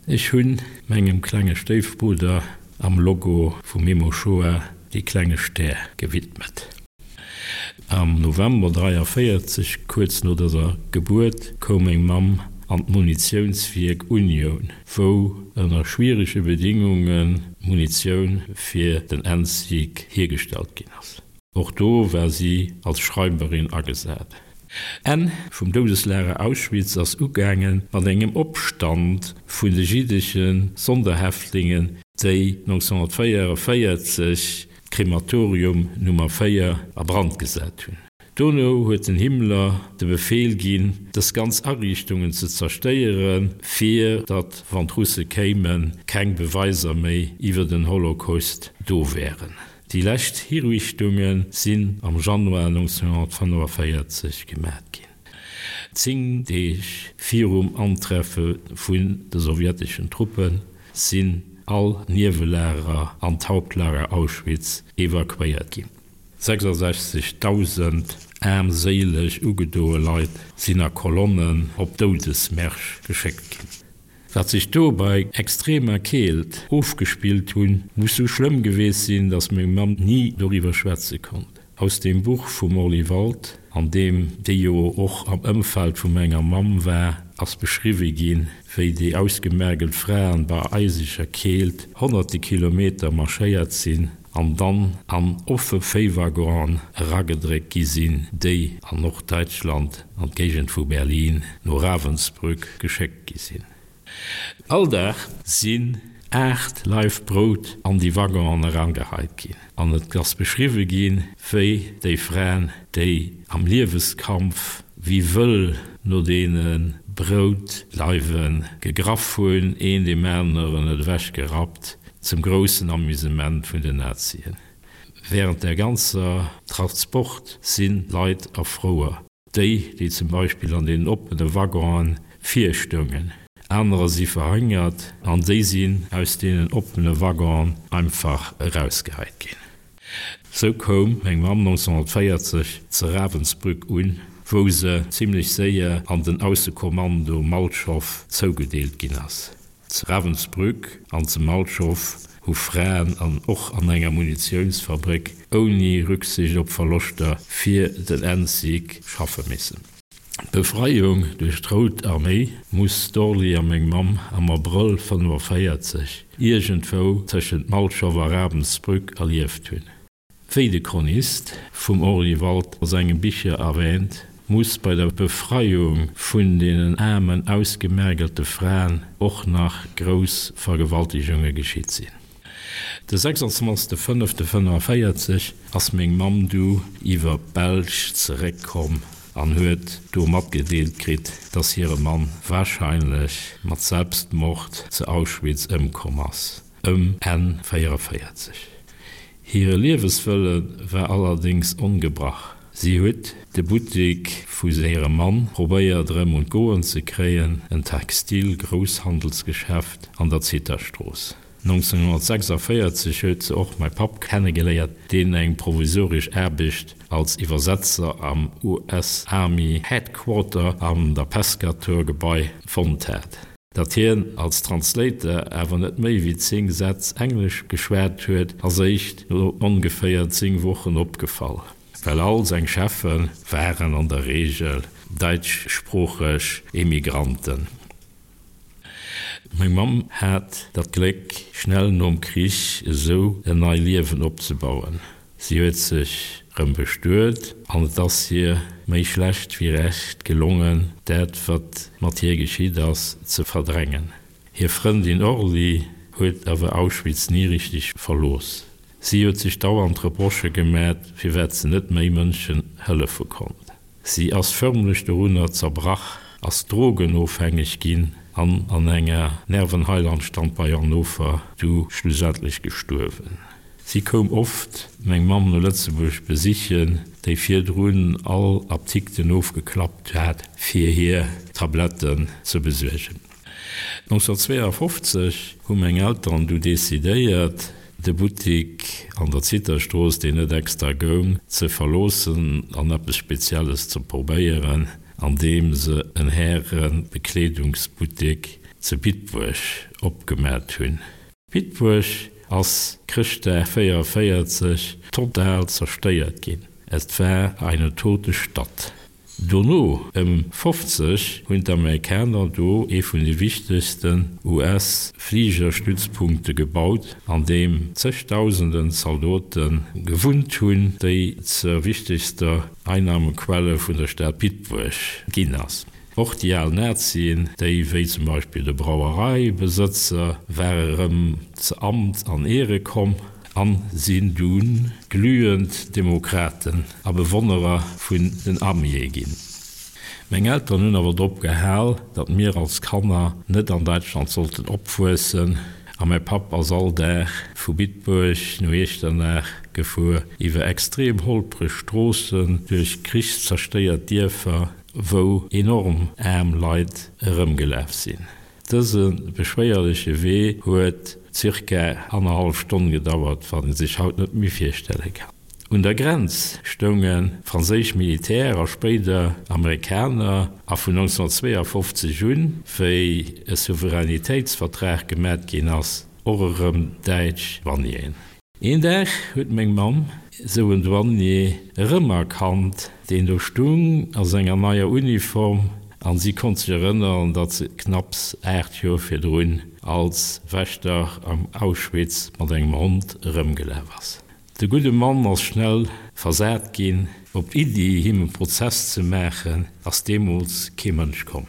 [SPEAKER 2] Ech hunn mengem klenge Stéifbrudder am Logo vu Memo-Shoah dee klenge Stär gewidmet. Am November dräianvéierzeg, kuerz no dëser Gebuert, koum meng Mamm an d'Munitiounswierk Unioun, wou ënner schwierege Bedingunge Munitioun fir den Endsieg hiergestallt ginn ass. Och do war si als Schreiberin agesat. Enn vum Doudeslager Auschwitz ass ugaange mat engem Opstand vun de jiddesche Sonderhäftlingen, déi nonzénhunnertvéieranvéierzeg d'Krematorium Nummer véier a Brand gesat hunn. Dono huet den Himmler de Befehl ginn, dës ganz Ariichtungen ze zerstéieren, fir datt, wann d'Russe kéimen, keng Beweiser méi iwwer den Holocaust do wären. Déi lescht Hiriichtunge sinn am Januar neunzehnhunnertfënnefenvéierzeg gemat ginn. Zéng Deeg virum Antreffe vun de sowjeteschen Truppe sinn all Niewelager an d'Hauptlager Auschwitz evakuéiert ginn. Sechsasechzegdausend aarmséileg ugedoe Leit sinn a Kolonnen op Doudesmärsch geschéckt ginn. Wat sech do bei extremer Keelt ofgespillt hunn, muss sou schlëmm geweest sinn, datt meng Mamm ni doriwwer schwätze konnt. Aus dem Buch vum Orly Wald, an deem déi jo och am Ëmfeld vu menger Mamm war, ass beschriwwe ginn, wéi déi ausgemergelt Fraen bei eiseger Keelt honnerte Kilometer marschéiert sinn an dann an offe Véiwaggonen eragedréckt gi sinn, déi an Norddäitschland, an d'Géigend vu Berlin, no Ravensbrück geschéckt gi sinn. All Dag sinn aacht Laif Brout an déi Waggonen erangeheit ginn. An et ass beschriwwe ginn, wéi déi Fraen, déi am Lieweskampf wéi wëll no deene Broutleiwe gegraff hunn, een deem aneren et ewechgerappt, zum groussen Amusement vun den Nazien. Während der ganzer Transport sinn Leit erfrouer. Déi, déi zum Beispill an deenen oppene Waggonen vir stoungen. Anerer si verhëngert an déi sinn aus deenen oppene Waggonen einfach erausgeheit ginn. Sou koum meng Mamm neunzehnhunnertvéierzeg ze Ravensbrück un, wou se zimlech séier an den Aussekommando Malchow zougedeelt ginn ass. Zu Ravensbrück an zu Malchow hu Fraen an och an enger Munitiounsfabréck ouni Rücksicht op Verloschter fir den Endsieg schaffe missen. D'Befreiung duerch d'Rout Arméi muss d'Orly a meng Mamm am Abrëll fënnefenvéierzeg iergendwou tëschent Malchow a Ravensbrück erlieft hunn. Wéi de Chronist vum Orly Wald a senge Bicher erwähnt, muss bei der Befreiung vun deenen aarmen, ausgemergelte Fraen och nach grouss Vergewaltegunge geschitt sinn. De sechsundzwanzegste fënnefte fënnefenvéierzeg ass meng Mamm du iwwer d'Belsch zeréckkomm an huet do matgedeelt kritt, dass hire Mann warscheinlech mat Selbstmord zu Auschwitz ëmkomm ass, ëm Enn véierevéierzeg. Hire Lieweswëlle war allerdéngs ongebrach. Si huet de Buttek vu hirem Mann probéiert erëm un d'Goen ze kréien, en Textil-Grousshandelsgeschäft an der Zithastrooss. neunzehnhunnertsechsundvierzig huet se och mäi Papp kennegeléiert, deen eng provisoresch Aarbecht als Iwwersetzer am U S Army Headquarter an der Pescatore-Gebai fonnt hat. Datt hien als Translator awer net méi wéi zéng Sätz Englesch geschwat huet, ass éischt no ongeféier zéng Wochen opgefall, well all seng Cheffe waren an der Reegel däitschsproocheg Emigranten. Meng Mamm hat dat Gléck, schnell nom Krich esou en nei Liewen opzebauen. Si huet sech rëm bestuet an et ass hir méi schlecht wéi recht gelongen, dat, wat mat hir geschitt ass, ze verdrängen. Hir Frëndin Orly huet awer Auschwitz ni richteg verlooss. Si huet sech dauernd Reprochë gemat, firwat se net méi Mënschen hëllefe konnt. Si ass fërmlech dorunner zerbrach, ass drogenofhängeg ginn an an enger Nervenheilanstalt bei Hannover du schlussendlech gestuerwen. Si koum oft meng Mamm no Lëtzebuerg besichen, déi virdrun all Aptikten ofgeklappt hat, fir hir Tabletten ze besuergen. neunzehnhunnertzweeundfünfzig hu meng Elteren du decidéiert, de Buttek an der Zithastrooss, deen net extra goung, ze verloossen an eppes Spezielles ze probéieren, andeem se en Härebekleedungsbuttek ze Bitburg opgemat hunn. Bitburg ass Chrëschtdag véierevéierzeg total zerstéiert ginn. Et war eine tote Stadt. Dono, ëm fofzeg, hunn d'Amerikaner do ee vun de wichtegsten U S-Fligerstützpunkte gebaut, an deem zegdausenden Zaldote gewunnt hunn, déi zur wichtegster Einnahmequelle vun der Stad Bitburg ginn ass. Och déi al Nazien, déi wéi zum Beispill de Brauereibesëtzer, ware rëm zu Amt an Ehre komm. an sinn dunn glühend Demokraten a Bewonnerer vun den Arméeë ginn. Meng Elteren hunn awer drop gehal, datt mir als Kanner net an Däitschland sollten opwuessen, a mäi Papp ass all Dag vu Bitburg no Iechternach gefuer, iwwer extrem holpreg Stroossen, duerch krichszerstéiert Dierfer, wou enorm aarm Leit erëmgelaf sinn. Dëse beschwéierleche Wee huet zirka annerhallef Stonn gedauert, wat ee sech haut net méi virstelle kann. Un der Grenz stounge franséisch Militär a spéider Amerikaner, a vun nonzénhunnertzweeafofzeg un, wéi e Souveränitéitsvertrag gemat ginn ass, och erëm däitsch Douanieren. Een Dag huet meng Mamm esou en Douanier erëmerkannt, deen do stung a senger neier Uniform, an si konnt sech erënneren, datt se knapps aacht Joer virdrun als Wächter am Auschwitz mat engem Hond erëmgelaf ass. De gudde Mann ass schnell versat ginn. Op d'Iddi, him e Prozess ze maachen, ass deemools kee Mënsch komm.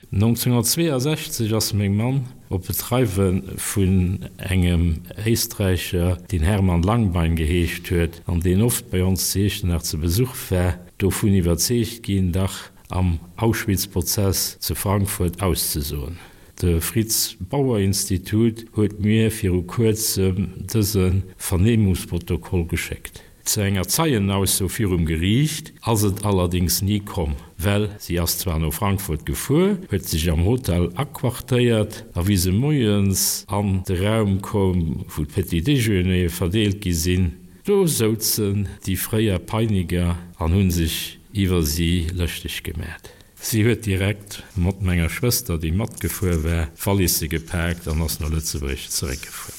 [SPEAKER 2] nonzénhunnertzweeasechzeg ass meng Mamm op Betreiwe vun engem Éisträicher, deen Hermann Langbein geheescht huet an deen oft bei ons zu Iechternach zu Besuch war, dovun iwwerzeegt ginn, dach am Auschwitz-Prozess zu Frankfurt auszesoen. De Fritz Bauer Institut huet mir viru kuerzem dëse Vernehmungsprotokoll geschéckt. Zu enger Zeienausso virum Geriicht ass et allerdéngs ni komm, well si ass zwar no Frankfurt gefuer, huet sech am Hotel aquartéiert a wéi se moies an de Raum koum, wou d'Petit-déjeunere verdeelt gi sinn, do souzen déi fréier Peiniger an hu sech iwwer si lëschteg gemat. Si huet direkt mat menger Schwëster, déi matgefuer war, d'Wallisse gepaakt an ass no Lëtzebuerg zeréckgefuer.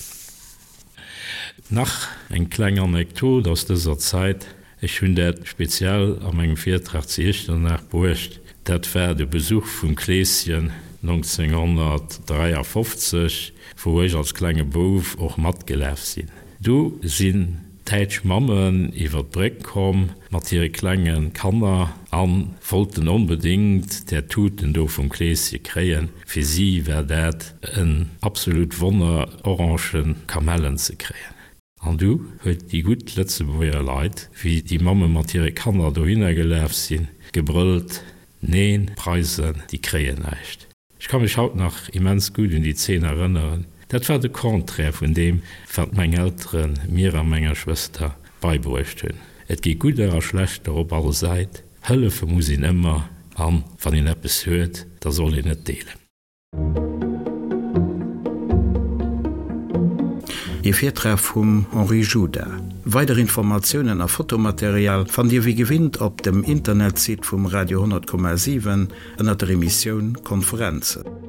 [SPEAKER 2] Nach eng kleng Anekdot aus dëser Zäit, ech hunn dat speziell a mengem Virtrag zu Iechternach bruecht, dat war de Besuch vum Kleeschen nonzénhunnertdräiafofzeg, wou ech als klenge Bouf och matgelaf sinn. Do sinn däitsch Mammen iwwer d'Bréck komm mat hire klenge Kanner a wollten onbedéngt där Tuten do vum Kleeschen kréien. Fir si war dat en absolut Wonner, Orangen, Kamellen ze kréien. An du huet déi gutt Lëtzebuerger Leit, wéi déi Mamme mat hire Kanner dohinner gelaf sinn, gebrëllt, Neen, d'Preisen, déi kréien näischt. Ech ka mech haut nach immens gutt un déi Zeen erënneren. Dat war de Contraire vun deem, wat meng Eltere mir a menger Schwëster beibruecht hunn. Et gi Gudder a Schlechter op all Säit, hëllefe muss een ëmmer an wann een eppes huet, da soll een et deelen.
[SPEAKER 1] Ee Virtrag vum Henri Juda. Weider Informatiounen a Fotomaterial fannt Dir wéi gewinnt op dem Internetsite vum Radio honnert Komma siwen ënnert der Emissioun Konferenzen.